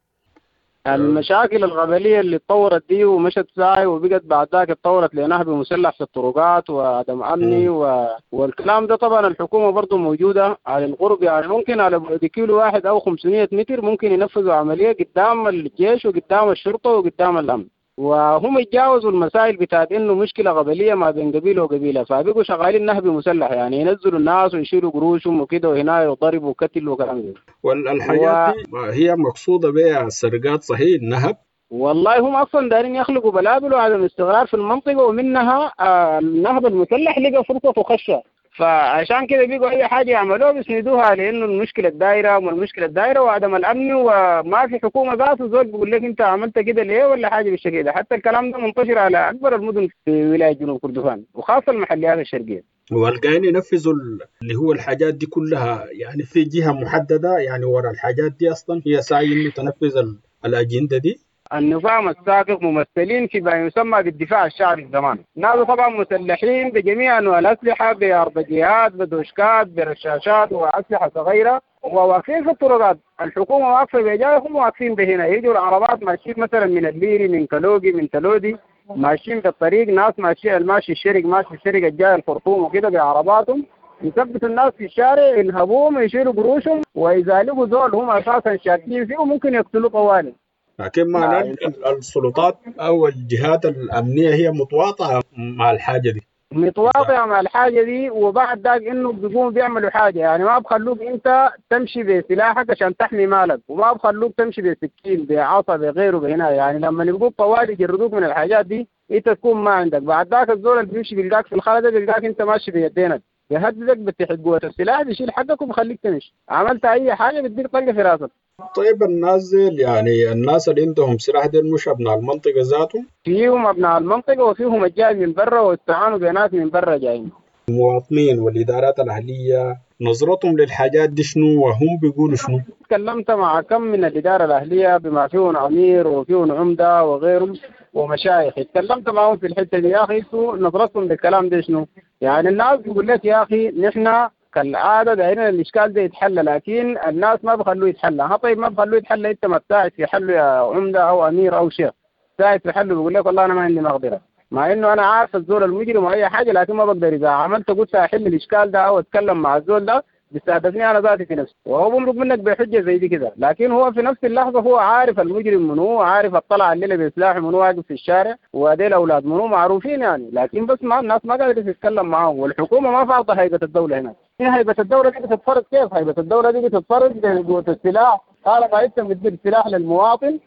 المشاكل القبلية اللي اتطورت دي ومشت ساي وبقت بعد ذاك اتطورت لنهب مسلح في الطرقات وعدم أمني و... والكلام ده طبعا الحكومة برضو موجودة على القرب، يعني ممكن على بعد كيلو واحد أو خمسمية متر ممكن ينفذوا عملية قدام الجيش وقدام الشرطة وقدام الأمن، وهم يتجاوزوا المسائل بتاعت انه مشكلة قبليه ما بين قبيلة وقبيله، فبقوا شغالين نهب مسلح، يعني ينزلوا الناس ويشيلوا قروشهم وكده وهنا يضربوا وقتل وكلام ده. والحاجات دي هي مقصوده بها السرقات صحيح النهب؟ والله هم اصلا دارين يخلقوا بلابل وعدم استقرار في المنطقة، ومنها النهب المسلح لقى فرصة وخشه، فعشان كده بيقوا اي حاجة يعملوها بيسندوها لانه المشكلة الدايرة والمشكلة الدايرة وعدم الامن، وما في حكومة ذاته زول بيقول لك انت عملت كده ليه ولا حاجة بالشكل ده. حتى الكلام ده منتشر على اكبر المدن في ولاية جنوب كردفان وخاصة المحليات الشرقية. والقاين ينفذوا اللي هو الحاجات دي كلها، يعني في جهة محددة يعني ورا الحاجات دي اصلا هي ساعي انه تنفذ الاجندة دي؟ النظام السابق ممثلين في ما يسمى بالدفاع الشعبي زمان، ناس طبعا مسلحين بجميع انواع الاسلحة، باربجيات بدوشكات برشاشات واسلحه صغيرة، وواقفين في الطرقات، الحكومة واقفة بجايهم واقفين بهنا، يجوا العربات ماشيين مثلا من الليري من كلوجي من تلودي ماشيين في الطريق، ناس ماشيين ماشي الشرق ماشي الشرق الجاي الخرطوم وكده بعرباتهم، يثبتوا الناس في الشارع ينهبوهم يشيلوا قروشهم، واذا لقوا زول هم اساسا شاكين فيه ممكن يقتلوه طوالي. لكن معناه السلطات او الجهات الامنية هي متواطئه مع الحاجة دي. متواطئه مع الحاجة دي، وبعد ذاك انه بيقوموا بيعملوا حاجة، يعني ما بخلوك انت تمشي بسلاحك عشان تحمي مالك، وما بخلوك تمشي بسكين بعصا بغيره بهنا، يعني لما يبقوا طوالي يجردوك من الحاجات دي انت تكون ما عندك. بعد ذاك الزول اللي بيمشي بيلقاك في الخلا ده بيلقاك انت ماشي بيدينك، بيهددك بتحت قوة السلاح بيشيل حقك وبخليك تمشي، عملت اي حاجة بتديك طلقه في راسك. طيب الناس ديل يعني الناس اللي عندهم سلاح ديل مش ابناء المنطقة ذاتهم؟ فيهم ابناء المنطقة وفيهم الجاي من برا واستعانوا بناس من برا جايين. المواطنين والادارات الاهلية نظرتهم للحاجات دي شنو وهم بيقولوا شنو؟ تكلمت مع كم من الادارة الاهلية بما فيهم امير وفيهم عمده وغيرهم ومشايخ، تكلمت معهم في الحتة دي، يا اخي انتوا نظرتكم للكلام ده شنو؟ يعني الناس بيقول لك يا اخي نحن كالعادة دايرين الاشكال ده يتحل، لكن الناس ما بخلوه يتحل. ها طيب ما بخلوه يتحل، انت ما تساعد في حله يا عمده او امير او شيخ، ساعد في حله بيقول لك والله انا ما عندي مقدره، مع انه انا عارف الزول المجرم واي حاجة، لكن ما بقدر اذا عملت قلت احل الاشكال ده او اتكلم مع الزول ده بيستهدفني انا ذاتي في نفسي، وهو بمرق منك بحجة زي دي كده، لكن هو في نفس اللحظة هو عارف المجرم منو، عارف الطلع الليلة بسلاح منو واقف في الشارع، وديل اولاد منو معروفين يعني، لكن بس ما الناس ما قادرة تتكلم معاهم، والحكومة ما فارضه هيبة الدولة هنا. هيبة الدولة دي بتتفرض كيف؟ هيبة الدولة دي بتتفرض بقوة السلاح، طالما انت بتدي سلاح للمواطن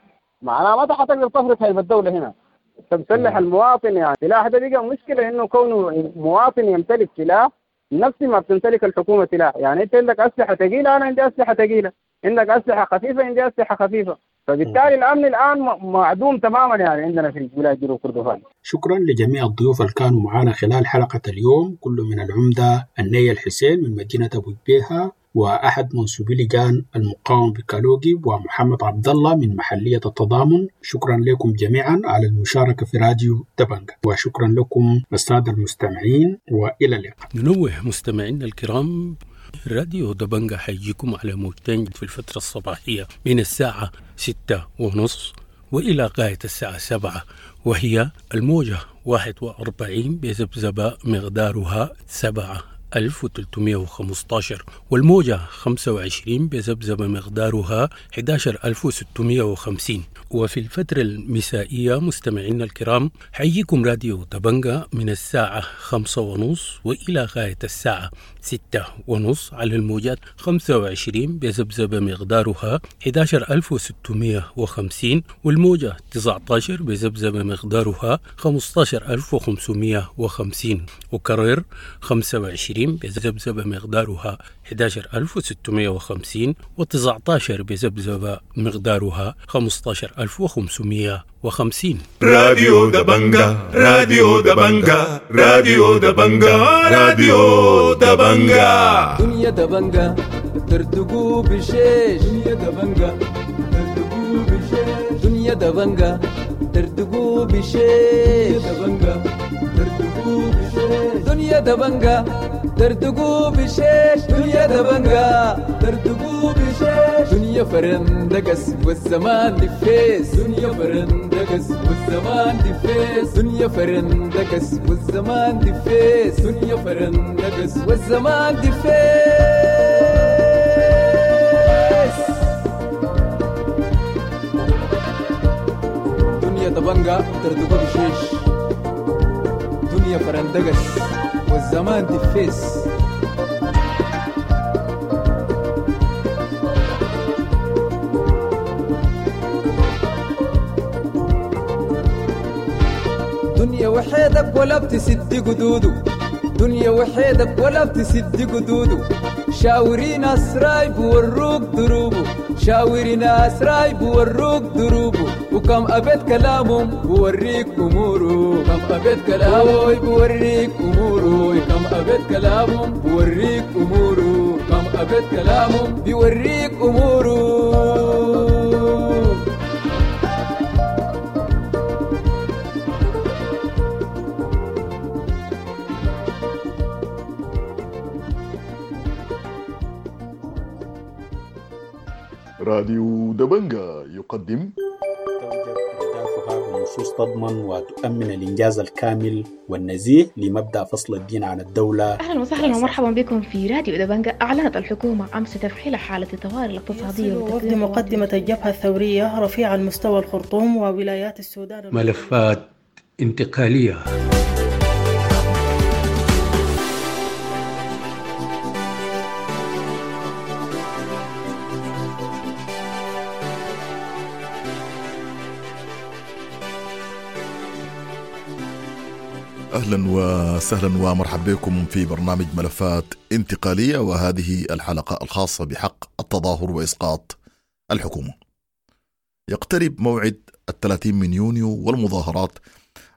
معناها ما حتقدر تفرض هيبة الدولة هنا. انت مسلح المواطن، يعني السلاح ده بقى مشكلة، انه كونه مواطن يمتلك سلاح نفس ما بتمتلك الحكومة سلاح، يعني انت عندك اسلحة ثقيلة انا عندي اسلحة ثقيلة، عندك اسلحة خفيفة عندي اسلحة خفيفة، فبالتالي الامن الان معدوم تماما يعني عندنا في ولاية جنوب كردفان. شكرا لجميع الضيوف اللي كانوا معنا خلال حلقة اليوم، كل من العمدة النيل الحسين من مدينة ابو جبيهه، واحد منسوبي لجان المقاومة بكالوجي، ومحمد عبد الله من محليه التضامن. شكرا لكم جميعا على المشاركة في راديو دبنجة، وشكرا لكم السادة المستمعين، والى اللقاء. ننوه مستمعينا الكرام، راديو دبنجة حيجيكم على موجتين في الفترة الصباحية من الساعة ستة ونص وإلى غاية الساعة سبعة، وهي الموجة واحد وأربعين بذبذبة مقدارها سبعة ألف وثلاثمائة وخمسة عشر، والموجة خمسة وعشرين بذبذبة مقدارها أحد عشر ألف وستمائة وخمسين. وفي الفترة المسائية مستمعينا الكرام حييكم راديو دبنجة من الساعة خمسة ونص وإلى غاية الساعة ستة ونص على الموجات خمسة وعشرين بذبذبة مقدارها أحد عشر ألف وستمائة وخمسين، والموجة تسعة عشر بذبذبة مقدارها خمسة عشر ألف وخمسمائة وخمسين. وكرر خمسة وعشرين وعشرين بذبذبة مقدارها أحد عشر ألف وستمائة وخمسين، وتسعة عشر بذبذبة مقدارها خمسة عشر ألف وخمسمائة وخمسين. راديو دبنجا، راديو دبنجا، راديو دبنجا، راديو دبنجا. دنيا دبنجا ترتقو بشيش، دنيا دبنجا ترتقو بشيش، دنيا دبنجا ترتقو بشيش، دبنجا ترتقو بشيش، دنيا دبنجا ترتقو بشيش، دنيا دبنجا ترتقو بشيش، دنيا فرندقس والزمان دفيس، دنيا فرندقس والزمان دفيس، دنيا فرندقس والزمان دفيس، دنيا فرندقس والزمان دفيس. دنيا دبنجا ترتقو بشيش، دنيا فرندقس والزمان دفيس. دنيا وحيدك ولا بتسد قدوده، دنيا وحيدك ولا بتسد قدوده، شاوري ناس رايب وروك دروبه، شاوري ناس رايب وروك دروبه، وكم أبيت كلامهم بوريك أموره، كم أبيت كلامه بوريك أموره، كم أبيت كلامهم بوريك أموره، كم أبيت كلامهم بيوريك أموره. راديو دبنجا يقدم توجد أهدافها بنصوص تضمن وتؤمن الإنجاز الكامل والنزيه لمبدأ فصل الدين عن الدولة. أهلا وسهلا ومرحبا بكم في راديو دبنجا. أعلنت الحكومة أمس تفعيل حالة الطوارئ الاقتصادية وفد مقدمة الجبهة الثورية رفيع المستوى الخرطوم وولايات السودان. ملفات انتقالية. أهلا وسهلا ومرحبا بكم في برنامج ملفات انتقالية، وهذه الحلقة الخاصة بحق التظاهر وإسقاط الحكومة. يقترب موعد الثلاثين من يونيو والمظاهرات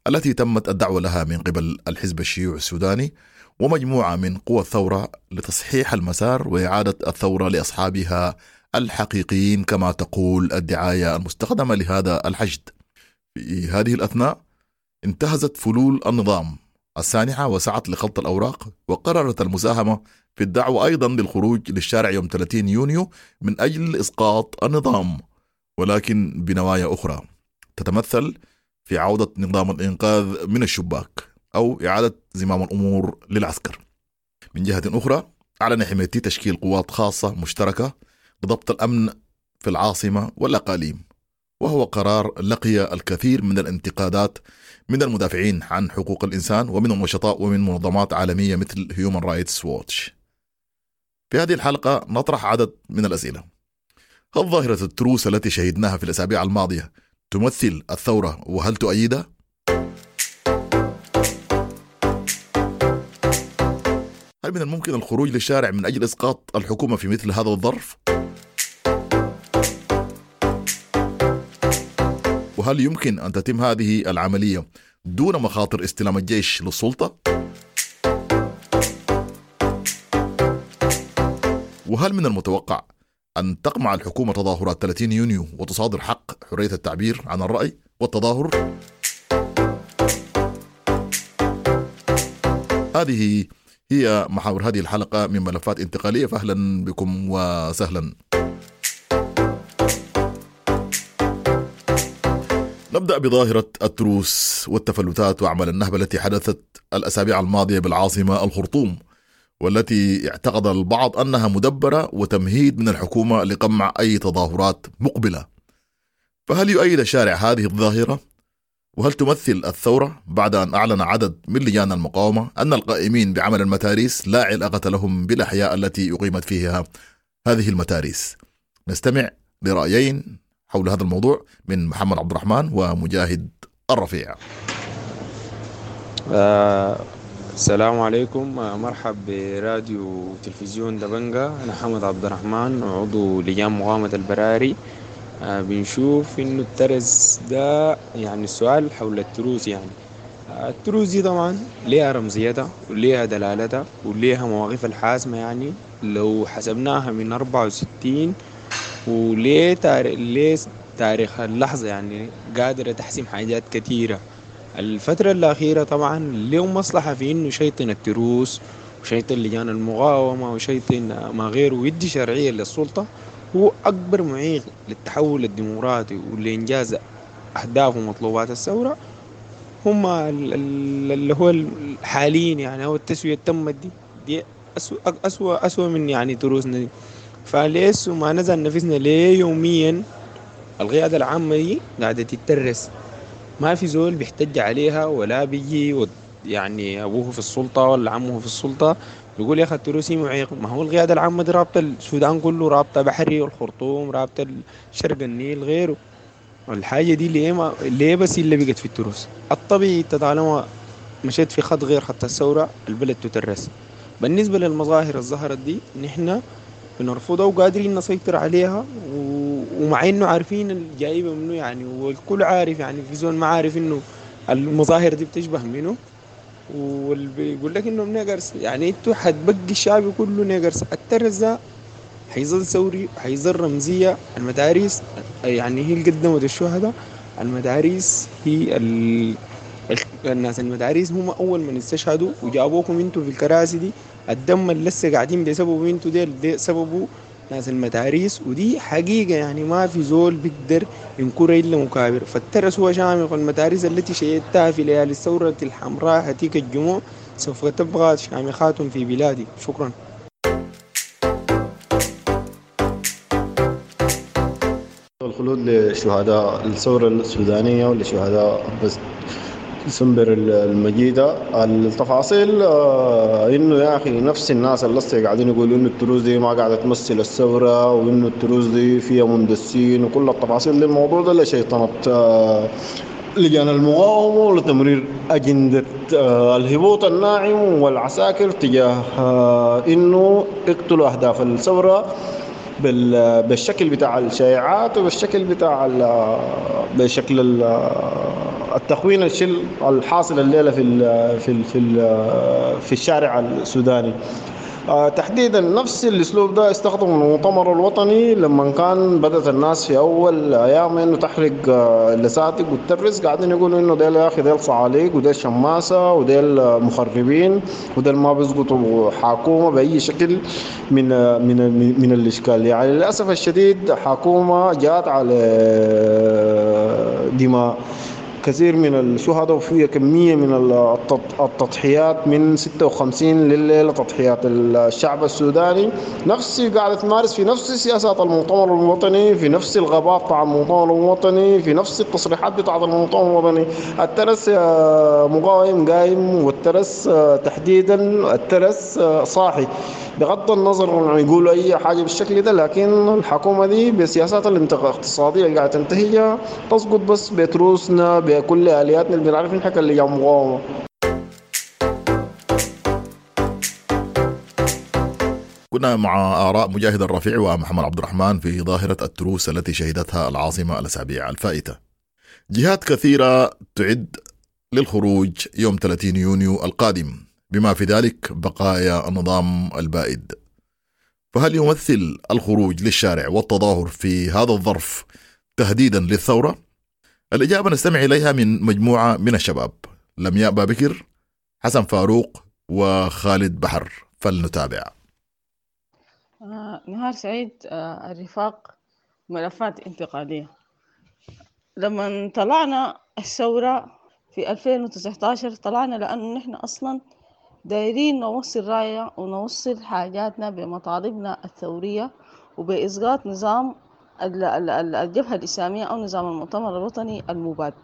التي تمت الدعوة لها من قبل الحزب الشيوعي السوداني ومجموعة من قوى الثورة لتصحيح المسار وإعادة الثورة لأصحابها الحقيقيين كما تقول الدعاية المستخدمة لهذا الحشد. في هذه الأثناء انتهزت فلول النظام السانحة وسعت لخلط الأوراق، وقررت المساهمة في الدعوة أيضا للخروج للشارع يوم ثلاثين يونيو من أجل إسقاط النظام، ولكن بنوايا أخرى تتمثل في عودة نظام الإنقاذ من الشباك أو إعادة زمام الأمور للعسكر. من جهة أخرى أعلن حميدتي تشكيل قوات خاصة مشتركة لضبط الأمن في العاصمة والأقاليم، وهو قرار لقي الكثير من الانتقادات من المدافعين عن حقوق الإنسان ومن النشطاء ومن منظمات عالمية مثل هيومن رايتس ووتش. في هذه الحلقة نطرح عدد من الأسئلة. هل ظاهرة التروس التي شهدناها في الأسابيع الماضية تمثل الثورة وهل تؤيدها؟ هل من الممكن الخروج للشارع من أجل إسقاط الحكومة في مثل هذا الظرف؟ وهل يمكن أن تتم هذه العملية دون مخاطر استلام الجيش للسلطة؟ وهل من المتوقع أن تقمع الحكومة تظاهرات ثلاثين يونيو وتصادر حق حرية التعبير عن الرأي والتظاهر؟ هذه هي محاور هذه الحلقة من ملفات انتقالية، فأهلا بكم وسهلا. نبدأ بظاهرة التروس والتفلتات وأعمال النهب التي حدثت الأسابيع الماضية بالعاصمة الخرطوم، والتي اعتقد البعض أنها مدبرة وتمهيد من الحكومة لقمع أي تظاهرات مقبلة. فهل يؤيد الشارع هذه الظاهرة؟ وهل تمثل الثورة بعد أن أعلن عدد من لجان المقاومة أن القائمين بعمل المتاريس لا علاقة لهم بالأحياء التي أقيمت فيها هذه المتاريس؟ نستمع لرأيين حول هذا الموضوع من محمد عبد الرحمن ومجاهد الرفيع. آه، السلام عليكم، مرحب براديو تلفزيون دبنجة. أنا حمد عبد الرحمن، عضو لجان مقاومة البراري. آه، بنشوف إنه الترس ده يعني السؤال حول التروس، يعني آه، التروس دي طبعا ليها رمزيتها وليها دلالتها وليها مواقفها الحاسمة، يعني لو حسبناها من أربعة وستين وليه تاريخ، ليه تاريخ اللحظة يعني قادرة تحسم حاجات كثيرة. الفترة الأخيرة طبعا له مصلحة في إنه شيطن التروس وشيطن لجان المقاومة وشيطن ما غيره ويدي شرعية للسلطة، هو أكبر معيق للتحول الديمقراطي ولإنجاز أهداف ومطلوبات الثورة هم ال-، ال-، اللي هو الحاليين، يعني هو التسوية تمت دي، دي أسوأ، أسوأ، أسوأ من يعني تروسنا دي. فليس ما نزل نفسنا ليه يوميا القيادة العامة دي قاعدة تترس، ما في زول بيحتج عليها ولا بيجي ود-، يعني أبوه في السلطة ولا عمه في السلطة بيقول يا أخي التروسي معيق. ما هو القيادة العامة دي رابطة السودان كله، رابطة بحري والخرطوم، رابطة شرق النيل غيره. الحاجة دي ليه ما ليه بس اللي بقت في التروس؟ الطبيعي طالما مشيت في خط غير خط الثورة البلد تترس. بالنسبة للمظاهر الظهرت دي نحن بنرفضها وقادرين نسيطر عليها، و-، ومع انه عارفين الجايبه منه يعني، والكل عارف، يعني في زول ما عارف انه المظاهر دي بتشبه منه، واللي بيقول لك انه niggers، يعني انتوا حتبقي الشعب كله niggers. الترس ده حيظل ثوري، حيظل رمزيه. المدارس يعني هي اللي قدمت الشهداء، المدارس هي ال-، ال-، الناس المدارس هم اول من استشهدوا وجابوكم انتوا في الكراسي دي. الدم اللي لسه قاعدين بسببه انتوا ديل، دي سببه ناس المدارس، ودي حقيقة يعني ما في زول بيقدر ينكرها إلا مكابر. فالترس هو شامخ، والمدارس التي شيدتها في ليالي الثورة الحمراء هتيك الجموع سوف تبقى شامخات في بلادي. شكرا. الخلود لشهداء الثورة السودانية ولشهداء بس ديسمبر المجيدة. التفاصيل، آه، إنه يا أخي نفس الناس اللي لسه قاعدين يقولوا إنه التروس دي ما قاعدة تمثل الثورة وإنه التروس دي فيها مندسين وكل التفاصيل دي، الموضوع ده لشيطنة، آه، لجان المقاومة ولتمرير أجندة، آه، الهبوط الناعم والعساكر تجاه، آه، إنه اقتلوا أهداف الثورة بال-، بالشكل بتاع الشائعات وبالشكل بتاع ال-، بشكل ال-، التخوين الشل الحاصل الليلة في ال-، في ال-، في ال-، في الشارع السوداني. آه، تحديدا نفس الاسلوب ده استخدمه المؤتمر الوطني لما كان بدأت الناس في اول ايام انه تحرق، آه، اللساتك والترس، قاعدين يقولوا انه ديل يا اخي ديل صعاليق وديل شماسه وديل مخربين وديل ما بيسقطوا حكومه باي شكل من، آه، من، من، من الاشكال. يعني للاسف الشديد حكومه جات على دماء كثير من الشهداء وفيها كمية من التط-، التضحيات من ستة وخمسين لليلة، تضحيات الشعب السوداني نفس قاعدة تمارس في نفس سياسات المؤتمر الوطني، في نفس الغباء بتاع المؤتمر الوطني، في نفس التصريحات بتاعت المؤتمر الوطني. الترس، آه، مقاوم قايم، والترس، آه، تحديدا الترس، آه، صاحي بغض النظر عن يقولوا أي حاجة بالشكل ده، لكن الحكومة دي بسياسات الاقتصادية اللي قاعدة تنتهجها تسقط بس بتروسنا بكل آلياتنا اللي بنعرف نحكي اللي جاب مقاومة. كنا مع آراء مجاهد الرفيع ومحمد عبد الرحمن في ظاهرة التروس التي شهدتها العاصمة الأسابيع الفائتة. جهات كثيرة تعد للخروج يوم ثلاثين يونيو القادم، بما في ذلك بقايا النظام البائد. فهل يمثل الخروج للشارع والتظاهر في هذا الظرف تهديدا للثورة؟ الإجابة نستمع إليها من مجموعة من الشباب: لمياء بابكر، حسن فاروق، وخالد بحر. فلنتابع. آه، نهار سعيد. آه، الرفاق، ملفات انتقالية. لما طلعنا الثورة في ألفين وتسعتاشر طلعنا لأنه نحن أصلا دايرين نوصل راية ونوصل حاجاتنا بمطالبنا الثورية وبإسقاط نظام ال-، ال-، ال-، الجبهة الإسلامية أو نظام المؤتمر الوطني المباد.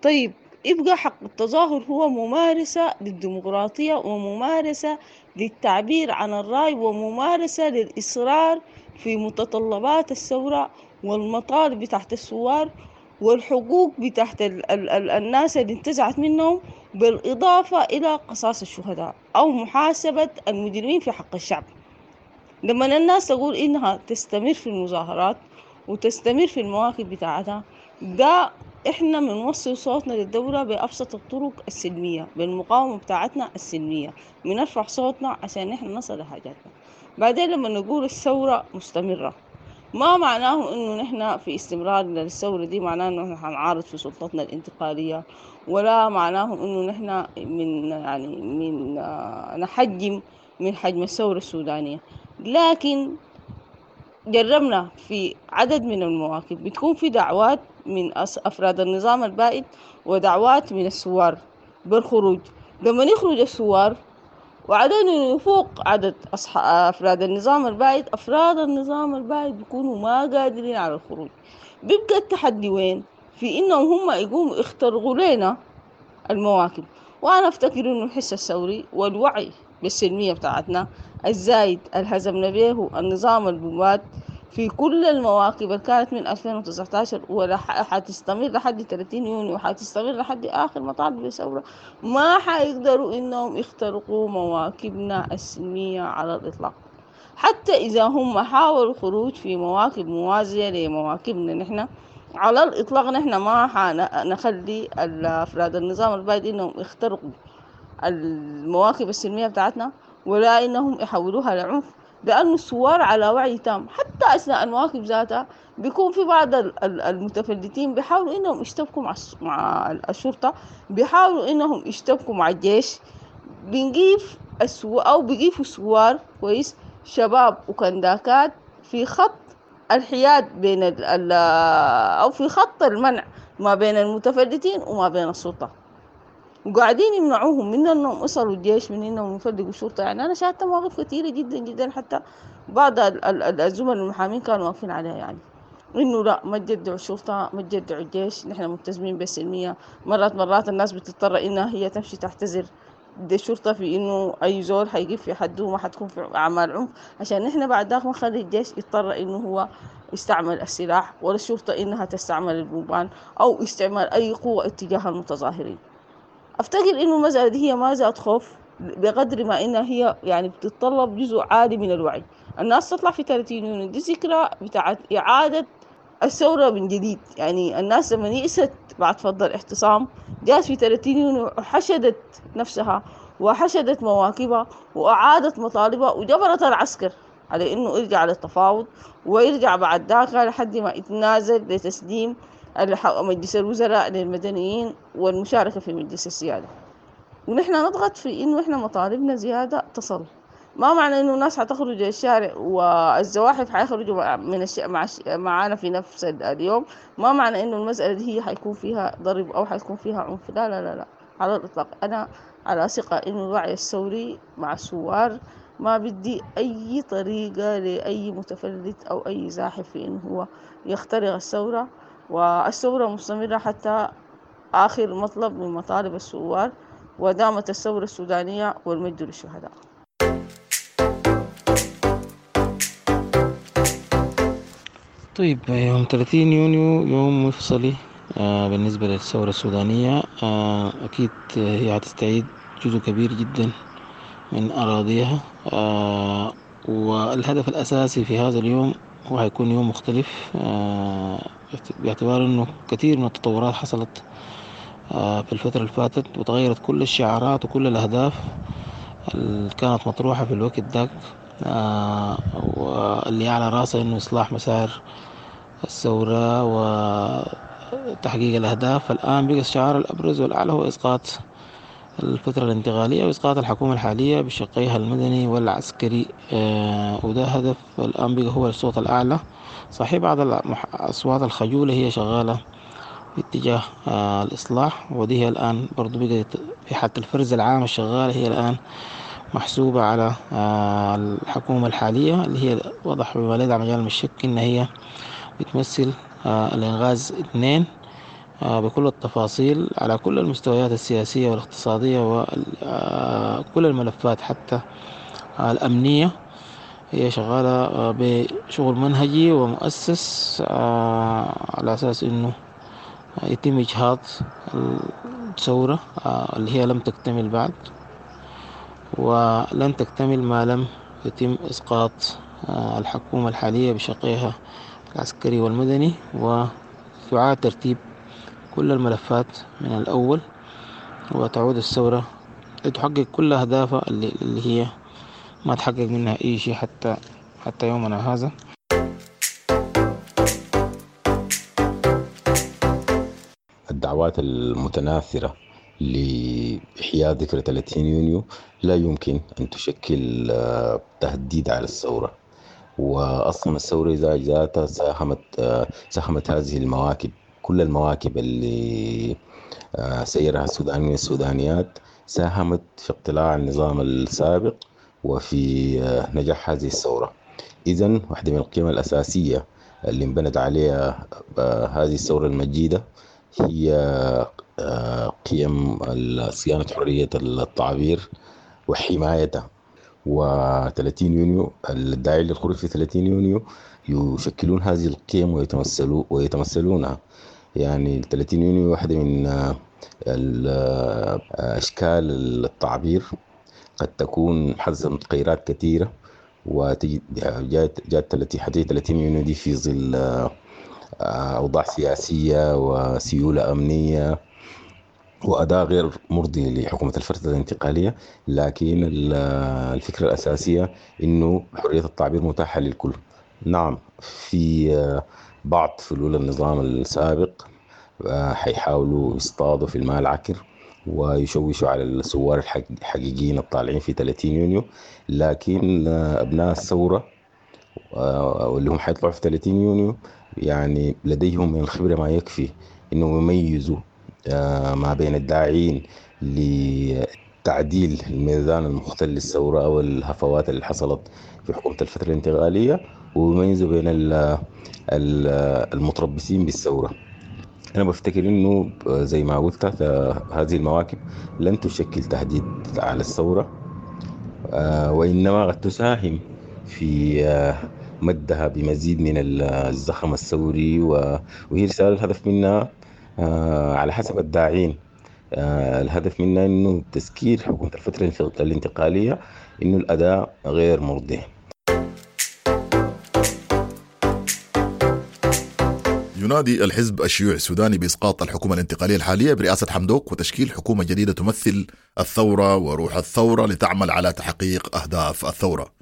طيب يبقى حق التظاهر هو ممارسة للديمقراطية وممارسة للتعبير عن الرأي وممارسة للإصرار في متطلبات الثورة والمطالب تحت الثوار والحقوق بتاعت ال-، ال-، ال-، الناس اللي انتزعت منهم بالإضافة إلى قصاص الشهداء أو محاسبة المجرمين في حق الشعب. لما الناس تقول إنها تستمر في المظاهرات وتستمر في المواقف بتاعتها، ده إحنا بنوصل صوتنا للدولة بأبسط الطرق السلمية، بالمقاومة بتاعتنا السلمية، بنرفع صوتنا عشان إحنا نصل لحاجاتنا. بعدين لما نقول الثورة مستمرة، ما معناه إنه نحن في استمرار للثورة دي معناه إنه نحن حنعارض في سلطتنا الانتقالية، ولا معناه إنه نحن من يعني من نحجم من حجم الثورة السودانية. لكن جربنا في عدد من المواقف بتكون في دعوات من أفراد النظام البائد ودعوات من الثوار بالخروج. لما يخرج الثوار وعدد يفوق عدد أفراد النظام البائد، أفراد النظام البائد بيكونوا ما قادرين على الخروج. بيبقى التحدي وين؟ في إنهم هم يقوموا يخترقوا لنا المواكب. وأنا أفتكر إنه الحس الثوري والوعي بالسلمية بتاعتنا الزايد اللي هزمنا به النظام البواد في كل المواكب اللي كانت من ألفين وتسعة عشر ولا حتستمر لحد ثلاثين يونيو وحتستمر لحد آخر مطالب الثورة، ما حيقدروا إنهم يخترقوا مواكبنا السلمية على الإطلاق. حتى إذا هم حاولوا الخروج في مواكب موازية لمواكبنا نحن على الإطلاق، نحن ما حنخلي أفراد النظام البائد إنهم يخترقوا المواكب السلمية بتاعتنا ولا إنهم يحولوها لعنف، لأن الثوار على وعي تام. حتى أثناء المواكب ذاتها بيكون في بعض المتفلتين بيحاولوا إنهم يشتبكوا مع مع الشرطة، بيحاولوا إنهم يشتبكوا مع الجيش. بنجيف السو أو بيجيفوا الثوار كويس شباب وكنداكات في خط الحياد بين ال ال أو في خط المنع ما بين المتفلتين وما بين السلطة، وقاعدين يمنعوهم من انهم يصلوا الجيش، من انهم يفلقوا الشرطه. يعني انا شاهدت مواقف كثيره جدا جدا، حتى بعض الزملاء المحامين كانوا واقفين عليها، يعني انه لا ما تجدعوا الشرطه، ما تجدعوا الجيش، نحن ملتزمين بالسلميه. مرات مرات الناس بتضطر انها هي تمشي تعتذر للشرطه في انه اي زول حيقف في حده وما حتكون في اعمال عنف، عشان نحن بعد ذاك ما نخلي الجيش يضطر انه هو يستعمل السلاح، ولا الشرطه انها تستعمل البومبان او استعمال اي قوه اتجاه المتظاهرين. افتكر انه المسألة دي هي ما ذات خوف بقدر ما انها هي يعني بتتطلب جزء عالي من الوعي. الناس تطلع في ثلاثين يونيو دي ذكرى بتاعت اعادة الثورة من جديد. يعني الناس لما يئست بعد فض الاعتصام جات في ثلاثين يونيو وحشدت نفسها وحشدت مواكبها واعادت مطالبها وجبرت العسكر على انه يرجع للتفاوض ويرجع بعد ذاك لحد ما يتنازل لتسليم مجلس الوزراء للمدنيين والمشاركة في مجلس السيادة. ونحن نضغط في إنه إحنا مطالبنا زيادة تصل. ما معنى إنه الناس حتخرج الشارع والزواحف حيخرجوا من الش... مع الش... معانا في نفس اليوم، ما معنى إنه المسألة دي هي حيكون فيها ضرب أو حيكون فيها عنف. لا لا لا لا على الإطلاق. أنا على ثقة إنه الوعي الثوري مع الثوار ما بدي أي طريقة لأي متفلت أو أي زاحف في إنه هو يخترق الثورة، والثورة مستمرة حتى آخر مطلب من مطالب الثوار، ودامت الثورة السودانية والمجد للشهداء. طيب، يوم ثلاثين يونيو يوم مفصلي آه بالنسبة للثورة السودانية. آه أكيد هي هتستعيد جزء كبير جدا من أراضيها، آه والهدف الأساسي في هذا اليوم هو هيكون يوم مختلف، آه باعتبار أنه كثير من التطورات حصلت آه في الفترة اللي فاتت، وتغيرت كل الشعارات وكل الأهداف اللي كانت مطروحة في الوقت ذاك، آه واللي على رأسه أنه إصلاح مسار الثورة وتحقيق الأهداف. الآن بقى الشعار الأبرز والأعلى هو إسقاط الفترة الانتقالية وإسقاط الحكومة الحالية بشقيها المدني والعسكري، آه وده هدف الآن بقى هو الصوت الأعلى. صحيح بعض الأصوات الخجولة هي شغالة باتجاه آه الإصلاح، ودي هي الآن برضو بقت في حالة الفرز العام الشغالة، هي الآن محسوبة على آه الحكومة الحالية اللي هي وضح بما لا يدع مجال من الشك إن هي بتمثل آه الإنغاز اثنين آه بكل التفاصيل على كل المستويات السياسية والاقتصادية وكل الملفات حتى آه الأمنية. هي شغالة بشغل منهجي ومؤسس على أساس إنه يتم إجهاض ثورة اللي هي لم تكتمل بعد، ولن تكتمل ما لم يتم إسقاط الحكومة الحالية بشقيها العسكري والمدني، وتعاد ترتيب كل الملفات من الأول، وتعود الثورة لتحقق كل أهدافها اللي, اللي هي ما تحقق منها أي شيء حتى حتى يومنا هذا. الدعوات المتناثرة لإحياء ذكرى ثلاثين يونيو لا يمكن أن تشكل تهديد على الثورة، وأصلا الثورة إذا ذاتها ساهمت ساهمت هذه المواكب، كل المواكب اللي سيرها السودانيين والسودانيات ساهمت في اقتلاع النظام السابق وفي نجاح هذه الثورة. إذن واحدة من القيم الأساسية اللي انبنت عليها هذه الثورة المجيدة هي قيم صيانة حرية التعبير وحمايتها. وثلاثين يونيو الداعي للخروج في ثلاثين يونيو يشكلون هذه القيم ويتمثلوا ويتمثلونها. يعني ثلاثين يونيو واحدة من أشكال التعبير قد تكون حزمت تغيرات كثيرة، وتجي جات جات ثلاثين يونيو دي في ظل أوضاع سياسية وسيولة أمنية وأداء غير مرضي لحكومة الفترة الانتقالية، لكن الفكرة الأساسية إنه حرية التعبير متاحة للكل. نعم في بعض فلول النظام السابق حيحاولوا يصطادوا في الماء العكر ويشوشوا على الثوار الحقيقيين الطالعين في ثلاثين يونيو، لكن أبناء الثورة واللي هم حيطلعوا في ثلاثين يونيو يعني لديهم من الخبرة ما يكفي إنهم يميزوا ما بين الداعين لتعديل الميزان المختل للثورة أو الهفوات اللي حصلت في حكومة الفترة الانتقالية، ويميزوا بين المتربصين بالثورة. أنا بفتكر إنه زي ما قلت هذه المواكب لن تشكل تهديد على الثورة، وإنما قد تساهم في مدها بمزيد من الزخم الثوري، وهي رسالة الهدف منها على حسب الداعين، الهدف منها إنه تذكير حكومة الفترة الانتقالية إنه الأداء غير مرضي. ينادي الحزب الشيوعي السوداني بإسقاط الحكومة الانتقالية الحالية برئاسة حمدوك وتشكيل حكومة جديدة تمثل الثورة وروح الثورة لتعمل على تحقيق أهداف الثورة.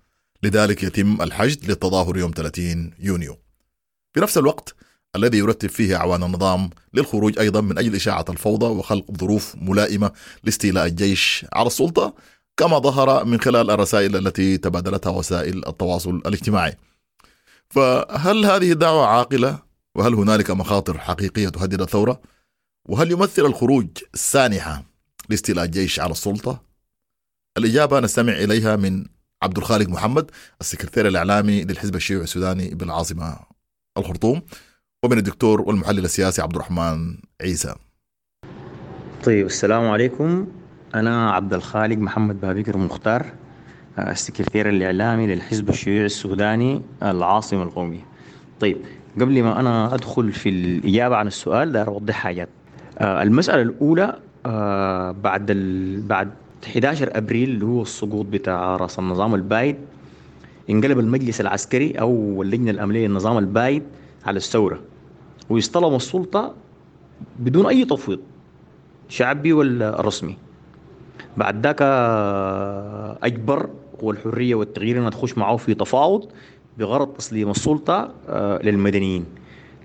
لذلك يتم الحشد للتظاهر يوم ثلاثين يونيو، في نفس الوقت الذي يرتب فيه أعوان النظام للخروج أيضا من أجل إشاعة الفوضى وخلق ظروف ملائمة لاستيلاء الجيش على السلطة، كما ظهر من خلال الرسائل التي تبادلتها وسائل التواصل الاجتماعي. فهل هذه الدعوة عاقلة؟ وهل هنالك مخاطر حقيقية تهدد الثورة؟ وهل يمثل الخروج سانحة لاستيلاء الجيش على السلطة؟ الإجابة نستمع إليها من عبد الخالق محمد، السكرتير الإعلامي للحزب الشيوعي السوداني بالعاصمة الخرطوم، ومن الدكتور والمحلل السياسي عبد الرحمن عيسى. طيب، السلام عليكم. أنا عبد الخالق محمد بابكر مختار، السكرتير الإعلامي للحزب الشيوعي السوداني العاصمة القومية. طيب، قبل ما أنا أدخل في الإجابة عن السؤال ده أوضح حاجات. آه المسألة الأولى، آه بعد ال... بعد أحد عشر أبريل اللي هو السقوط بتاع رأس النظام البايد، انقلب المجلس العسكري أو اللجنة الأمنية للنظام البايد على الثورة، ويستلم السلطة بدون أي تفويض شعبي ولا رسمي. بعد ذاك أجبر قوى الحرية والتغيير أن تخش معه في تفاوض بغرض تسليم السلطة للمدنيين،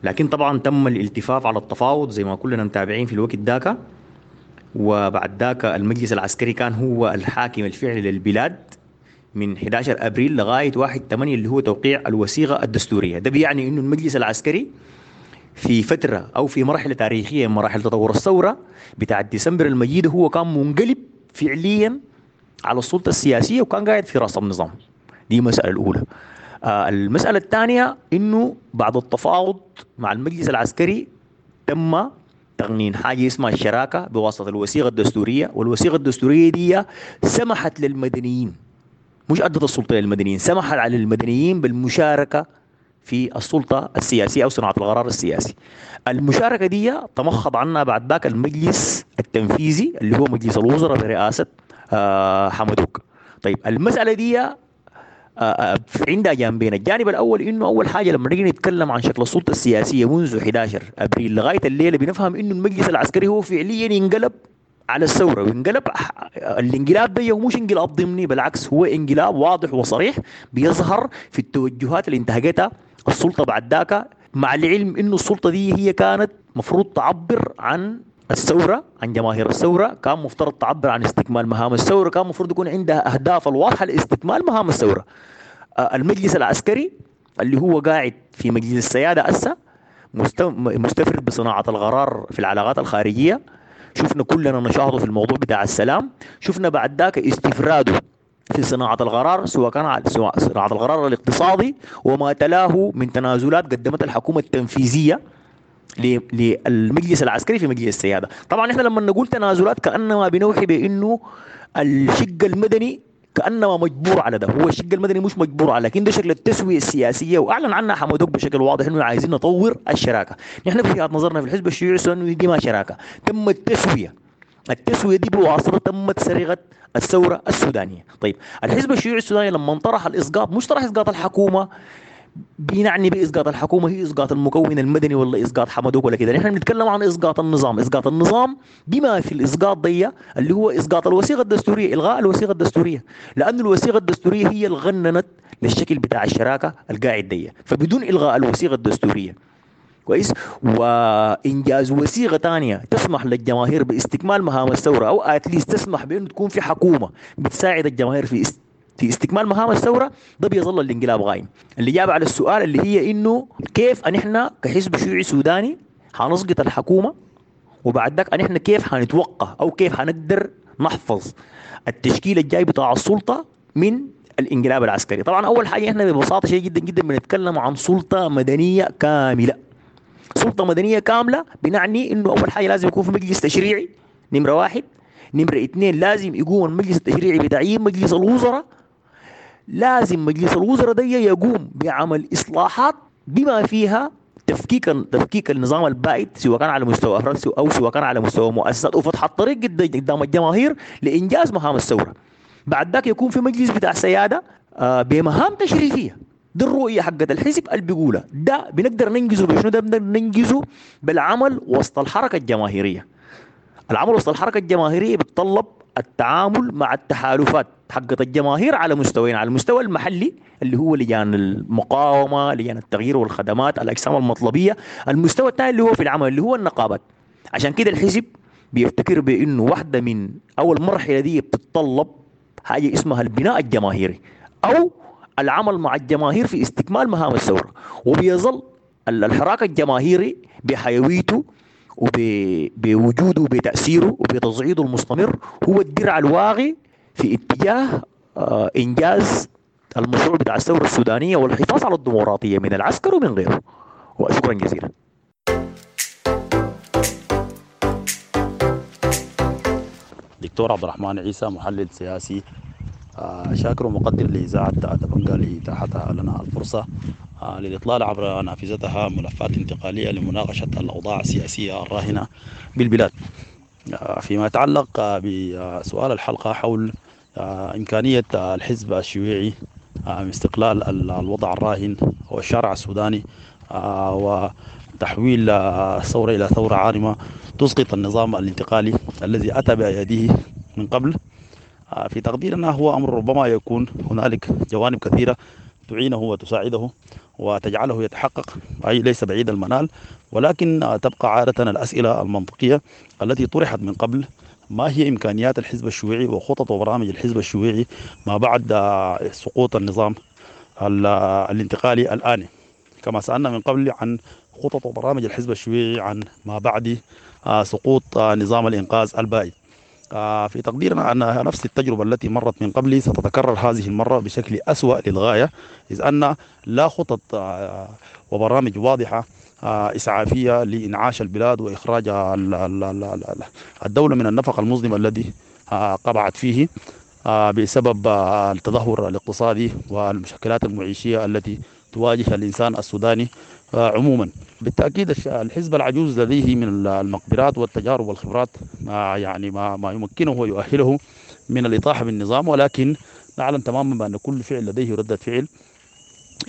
لكن طبعا تم الالتفاف على التفاوض زي ما كلنا متابعين في الوقت ذاك. وبعد ذاك المجلس العسكري كان هو الحاكم الفعلي للبلاد من أحد عشر أبريل لغاية واحد ثمانية اللي هو توقيع الوثيقة الدستورية. ده بيعني إنه المجلس العسكري في فترة أو في مرحلة تاريخية من مراحل تطور الثورة بتاع ديسمبر المجيد هو كان منقلب فعليا على السلطة السياسية وكان قاعد في رأس النظام. دي المسألة الأولى. آه المسألة الثانية إنه بعد التفاوض مع المجلس العسكري تم تغنين حاجة اسمها الشراكة بواسطة الوثيقة الدستورية، والوثيقة الدستورية دي سمحت للمدنيين، مش أدت السلطة للمدنيين، سمحت على المدنيين بالمشاركة في السلطة السياسية أو صناعة القرار السياسي. المشاركة دي تمخض عنها بعد ذاك المجلس التنفيذي اللي هو مجلس الوزراء برئاسة آه حمدوك. طيب المسألة دي آه عندها جانبين. الجانب الأول إنه أول حاجة لما نيجي نتكلم عن شكل السلطة السياسية منذ أحد عشر أبريل لغاية الليلة بنفهم إنه المجلس العسكري هو فعليا انقلب على الثورة، وانقلب الانقلاب ده مش انقلاب ضمني، بالعكس هو انقلاب واضح وصريح بيظهر في التوجهات اللي انتهجتها السلطة بعد ذاك، مع العلم إنه السلطة دي هي كانت مفروض تعبر عن الثورة، عن جماهير الثورة، كان مفترض تعبر عن استكمال مهام الثورة، كان مفروض يكون عندها أهداف الواضحة لاستكمال مهام الثورة. المجلس العسكري اللي هو قاعد في مجلس السيادة أسا مستفرد بصناعة القرار في العلاقات الخارجية، شفنا كلنا نشاطه في الموضوع بتاع السلام، شفنا بعد ذاك استفراده في صناعة القرار، سواء كان سواء صناعة القرار الاقتصادي وما تلاه من تنازلات قدمتها الحكومة التنفيذية للمجلس العسكري في مجلس السيادة. طبعا احنا لما نقول تنازلات كأنما بنوحي بأنه الشق المدني كأنما مجبور على ده، هو الشق المدني مش مجبور على، لكن ده شكل التسوية السياسية، وأعلن عنها حمدوك بشكل واضح إنه عايزين نطور الشراكة. نحن في وجهة نظرنا في الحزب الشيوعي إنه دي ما شراكة، تم التسوية، التسوية دي بواسطة تمت سرقة الثورة السودانية. طيب الحزب الشيوعي السوداني لما طرح الإسقاط مش طرح إسقاط الحكومة، بنعني بإسقاط الحكومة هي إسقاط المكون المدني ولا إسقاط حمدوك ولا كده، نحن بنتكلم عن إسقاط النظام، إسقاط النظام بما في الإسقاط دي اللي هو إسقاط الوثيقة الدستورية، إلغاء الوثيقة الدستورية، لأن الوثيقة الدستورية هي اللي غننت للشكل بتاع الشراكة القاعد دي، فبدون إلغاء الوثيقة الدستورية كويس وإنجاز وثيقة ثانية تسمح للجماهير باستكمال مهام الثورة، أو أتليست تسمح بأنه تكون في حكومة بتساعد الجماهير في است في استكمال مهام الثورة، ده بيظل الانقلاب غايم. الإجابة على السؤال اللي هي إنه كيف أن إحنا كحزب شيوعي سوداني حنسقط الحكومة، وبعد ذاك أن إحنا كيف حنتوقع أو كيف حنقدر نحفظ التشكيل الجاي بتاع السلطة من الانقلاب العسكري. طبعا أول حاجة إحنا ببساطة شيء جدا جدا بنتكلم عن سلطة مدنية كاملة. سلطة مدنية كاملة بنعني إنه أول حاجة لازم يكون في مجلس تشريعي نمرة واحد، نمرة اثنين لازم يقوم المجلس التشريعي بتعيين مجلس الوزراء، لازم مجلس الوزراء ده يقوم بعمل إصلاحات بما فيها تفكيك تفكيك النظام البائد سواء كان على مستوى أفراد أو سواء كان على مستوى مؤسسات، وفتح الطريق قدام الجماهير لإنجاز مهام الثورة. بعد ذاك يكون في مجلس بتاع سيادة بمهام تشريفية. دي الرؤية حقت الحزب اللي بيقولها ده بنقدر ننجزه بشنو؟ ده بنقدر ننجزه بالعمل وسط الحركة الجماهيرية. العمل وسط الحركة الجماهيرية بيتطلب التعامل مع التحالفات حقت الجماهير على مستويين، على المستوى المحلي اللي هو لجان المقاومة، لجان التغيير والخدمات، الأجسام المطلبية، المستوى الثاني اللي هو في العمل اللي هو النقابات. عشان كده الحزب بيفتكر بأنه واحدة من أول مرحلة دي بتتطلب حاجة اسمها البناء الجماهيري أو العمل مع الجماهير في استكمال مهام الثورة، وبيظل الحراك الجماهيري بحيويته وبوجوده وبتأثيره وبتصعيده المستمر هو الدرع الواغي في اتجاه إنجاز المشروع بتاع الثورة السودانية والحفاظ على الديمقراطية من العسكر ومن غيره. وشكرا جزيلا. دكتور عبد الرحمن عيسى، محلل سياسي، شاكر ومقدر لإذاعة دبنجا لإتاحتها لنا الفرصة للإطلال عبر نافذتها ملفات انتقالية لمناقشة الأوضاع السياسية الراهنة بالبلاد. فيما يتعلق بسؤال الحلقة حول إمكانية الحزب الشيوعي استقلال الوضع الراهن والشارع السوداني وتحويل الثورة إلى ثورة عارمة تسقط النظام الانتقالي الذي أتى بأيديه من قبل، في تقديرنا هو أمر ربما يكون هنالك جوانب كثيرة تعينه وتساعده وتجعله يتحقق، أي ليس بعيد المنال، ولكن تبقى عادة الأسئلة المنطقية التي طرحت من قبل: ما هي إمكانيات الحزب الشيوعي وخطط وبرامج الحزب الشيوعي ما بعد سقوط النظام الانتقالي الآني؟ كما سألنا من قبل عن خطط وبرامج الحزب الشيوعي عن ما بعد سقوط نظام الإنقاذ البائد. في تقديرنا أن نفس التجربة التي مرت من قبل ستتكرر هذه المرة بشكل أسوأ للغاية، إذ أن لا خطط وبرامج واضحة إسعافية لإنعاش البلاد وإخراج الدولة من النفق المظلم الذي قبعت فيه بسبب التدهور الاقتصادي والمشكلات المعيشية التي تواجه الإنسان السوداني عموما. بالتأكيد الحزب العجوز لديه من المقدرات والتجارب والخبرات ما يعني ما, ما يمكنه ويؤهله من الإطاحة بالنظام، ولكن نعلم تماما بأن كل فعل لديه ردة فعل،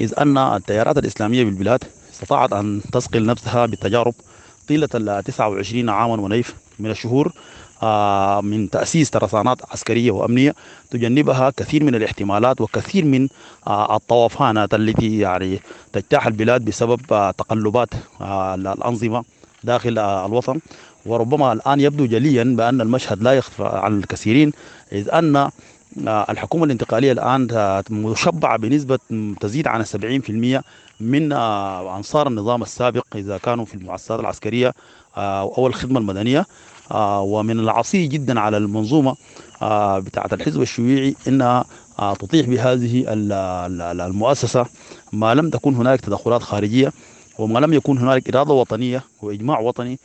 إذ أن التيارات الإسلامية بالبلاد استطاعت أن تثقل نفسها بالتجارب طيلة ال تسعة وعشرين عاما ونيف من الشهور من تأسيس ترسانات عسكرية وأمنية تجنبها كثير من الاحتمالات وكثير من الطوفانات التي يعني تجتاح البلاد بسبب تقلبات الأنظمة داخل الوطن. وربما الآن يبدو جليا بأن المشهد لا يخفى عن الكثيرين، إذ أن الحكومة الانتقالية الآن مشبعة بنسبة تزيد عن السبعين في المئة من أنصار النظام السابق إذا كانوا في المؤسسات العسكرية أو الخدمة المدنية. ومن العصي جدا على المنظومة بتاعة الحزب الشيوعي أنها تطيح بهذه المؤسسة ما لم تكن هناك تدخلات خارجية وما لم يكن هناك إرادة وطنية وإجماع وطني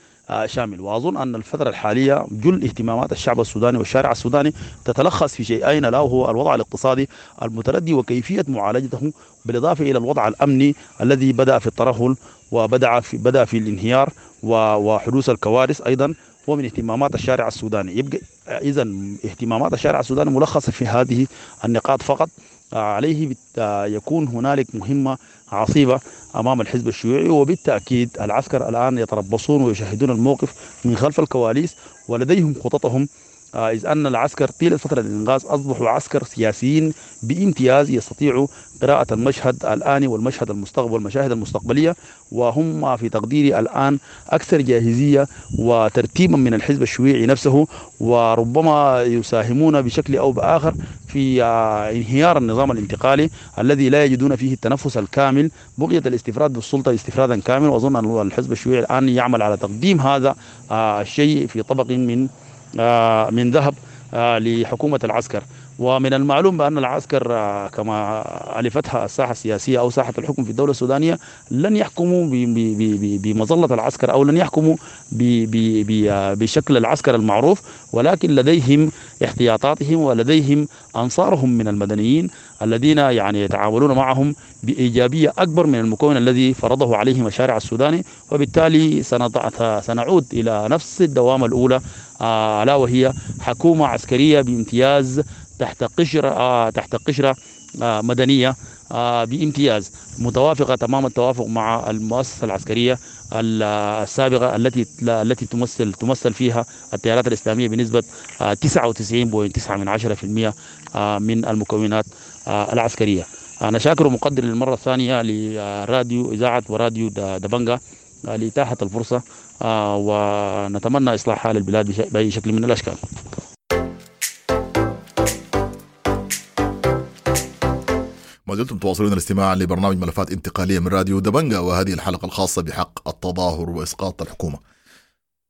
شامل. وأظن أن الفترة الحالية جل اهتمامات الشعب السوداني والشارع السوداني تتلخص في شيئين، لا هو الوضع الاقتصادي المتردي وكيفية معالجته، بالإضافة إلى الوضع الأمني الذي بدأ في الترهل وبدأ في بدأ في الانهيار وحدوث الكوارث أيضا هو من اهتمامات الشارع السوداني. يبقى إذا اهتمامات الشارع السوداني ملخصة في هذه النقاط فقط. عليه يكون هنالك مهمة عصيبة أمام الحزب الشيوعي، وبالتأكيد العسكر الآن يتربصون ويشاهدون الموقف من خلف الكواليس ولديهم خططهم، إذ أن العسكر طيلة فترة الإنقاذ أصبحوا عسكر سياسيين بامتياز يستطيعوا قراءة المشهد الآني والمشهد المستقبل والمشاهد المستقبلية، وهم في تقديري الآن أكثر جاهزية وترتيبا من الحزب الشيوعي نفسه، وربما يساهمون بشكل أو بآخر في انهيار النظام الانتقالي الذي لا يجدون فيه التنفس الكامل بغية الاستفراد بالسلطة استفرادا كاملا. وأظن أن الحزب الشيوعي الآن يعمل على تقديم هذا الشيء في طبق من من ذهب لحكومة العسكر. ومن المعلوم بأن العسكر كما ألفتها الساحة السياسية أو ساحة الحكم في الدولة السودانية لن يحكموا بمظلة العسكر أو لن يحكموا بشكل العسكر المعروف، ولكن لديهم احتياطاتهم ولديهم أنصارهم من المدنيين الذين يعني يتعاملون معهم بإيجابية أكبر من المكون الذي فرضه عليهم الشارع السوداني. وبالتالي سنعود إلى نفس الدوامة الأولى، ألا وهي حكومة عسكرية بامتياز تحت قشرة تحت قشرة مدنية بامتياز متوافقة تمام التوافق مع المؤسسة العسكرية السابقة التي التي تمثل تمثل فيها التيارات الإسلامية بنسبة تسعة وتسعين فاصلة تسعة من عشرة بالمئة من المكونات العسكرية. أنا شاكر ومقدر للمرة الثانية لراديو إذاعة وراديو دبنجا لإتاحة الفرصة، ونتمنى إصلاح حال البلاد بأي شكل من الأشكال. ما زلتم تواصلون الاستماع لبرنامج ملفات انتقالية من راديو دبنجا، وهذه الحلقة الخاصة بحق التظاهر وإسقاط الحكومة.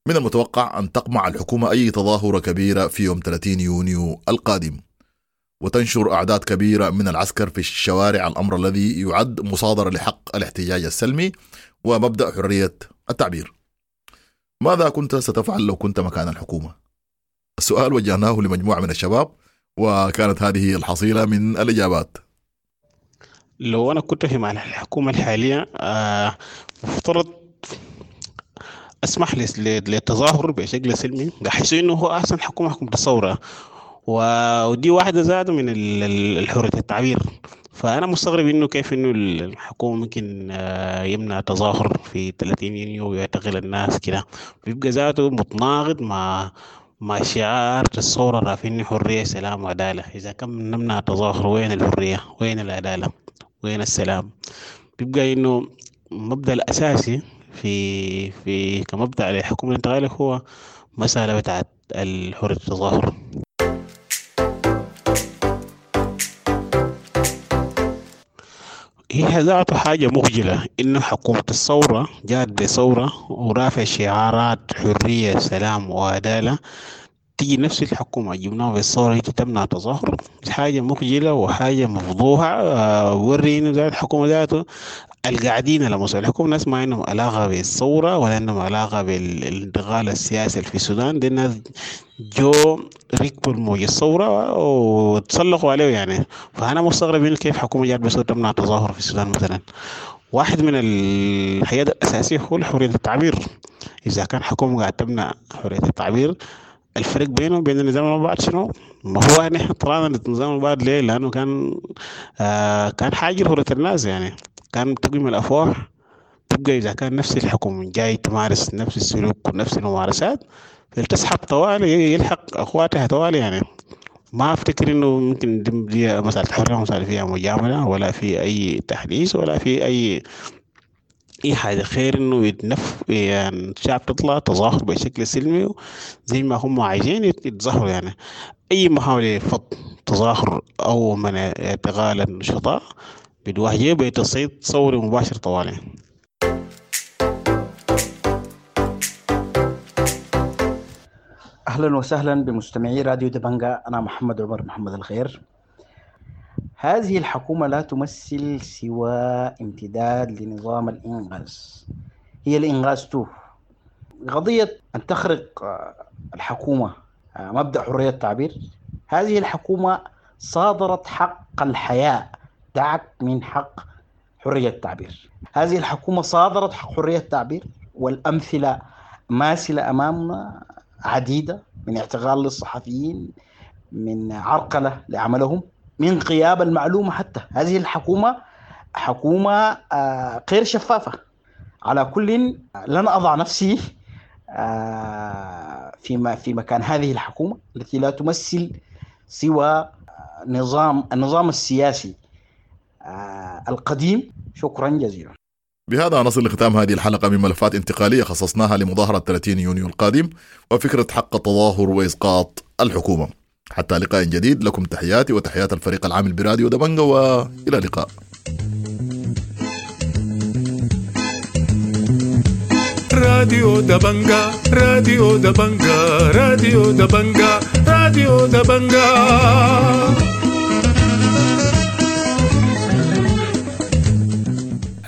من المتوقع أن تقمع الحكومة أي تظاهرة كبيرة في يوم ثلاثين يونيو القادم، وتنشر أعداد كبيرة من العسكر في الشوارع، الأمر الذي يعد مصادرة لحق الاحتجاج السلمي ومبدأ حرية التعبير. ماذا كنت ستفعل لو كنت مكان الحكومة؟ السؤال وجهناه لمجموعة من الشباب، وكانت هذه الحصيلة من الإجابات. لو أنا كنت في مع الحكومة الحالية آه مفترض أسمح للتظاهر بشكل سلمي، بحيث إنه هو أحسن حكومة حكومة الثورة، ودي واحدة زادة من الحرية التعبير. فأنا مستغرب إنه كيف إنه الحكومة ممكن يمنع تظاهر في ثلاثين يونيو ويعتقل الناس كده، بيبقى ذاته متناقض مع مع شعار الثورة رافعين حرية سلام وعدالة. إذا كم نمنع التظاهر وين الحرية وين العدالة وين السلام؟ بيبقى إنه المبدأ الأساسي في في كمبدأ للحكومة الانتقالية هو مسألة بتاعت الحرية التظاهر. هي ذاته حاجة مخجلة إنه حكومة الثورة جات بثورة ورافع شعارات حرية سلام وعدالة، تيجي نفس الحكومة جبناها بالثورة هي تمنع تظاهر. حاجة مخجلة وحاجة مفضوحة. آه وري إنه ذات الحكومة ذاته القاعدين على مستوى الحكومة ناس ما عندهم علاقة بالثورة ولا عندهم علاقة بالانتقال السياسي في السودان. دي الناس جو ركبوا الموجة الثورة وتسلقوا عليه يعني. فأنا مستغرب من كيف حكومة جات بس تمنع التظاهر في السودان مثلا. واحد من الحاجات الأساسية هو حرية التعبير. إذا كان حكومة قاعد تمنع حرية التعبير، الفرق بينه وبين النظام البعد شنو؟ ما هو نحن طلعنا النظام البعد ليه؟ لأنه كان آه كان حاجر حرية الناس يعني، كان تقييم الأفواه تبقى إذا كان نفس الحكومة جاي تمارس نفس السلوك ونفس الممارسات فلتسحب طوالي، يلحق أخواتها طوالي يعني. ما أفتكر إنه ممكن دي مسألة حرية، مسألة فيها مجاملة ولا في أي تحديث ولا في أي أي حاجة، خير إنه يتنف يعني الشعب تطلع تظاهر بشكل سلمي زي ما هم عايزين يتظاهروا يعني. أي محاولة فض تظاهر أو منع اعتقال النشطاء بتواجه بتصعيد ثوري مباشر طوالي. أهلا وسهلا بمستمعي راديو دبنجا، أنا محمد عمر محمد الخير. هذه الحكومة لا تمثل سوى امتداد لنظام الإنغاز، هي الإنغاز تو. قضية أن تخرق الحكومة مبدأ حرية التعبير، هذه الحكومة صادرت حق الحياة، دعك من حق حرية التعبير. هذه الحكومة صادرت حق حرية التعبير، والأمثلة ماثلة أمامنا عديدة، من اعتقال للصحفيين، من عرقلة لعملهم، من غياب المعلومة حتى. هذه الحكومة حكومة غير شفافة. على كل لن أضع نفسي في في مكان هذه الحكومة التي لا تمثل سوى نظام النظام السياسي القديم. شكرا جزيلا. بهذا نصل لختام هذه الحلقة من ملفات انتقالية خصصناها لمظاهرة ثلاثين يونيو القادم وفكرة حق التظاهر وإسقاط الحكومة. حتى لقاء جديد، لكم تحياتي وتحيات الفريق العامل براديو دبنجا، وإلى اللقاء. راديو دبنجا، راديو دبنجا، راديو دبنجا، راديو دبنجا.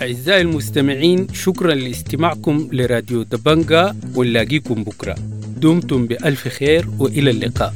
أعزائي المستمعين، شكرا لاستماعكم لراديو دبنجا، ونلاقيكم بكرة. دمتم بألف خير وإلى اللقاء.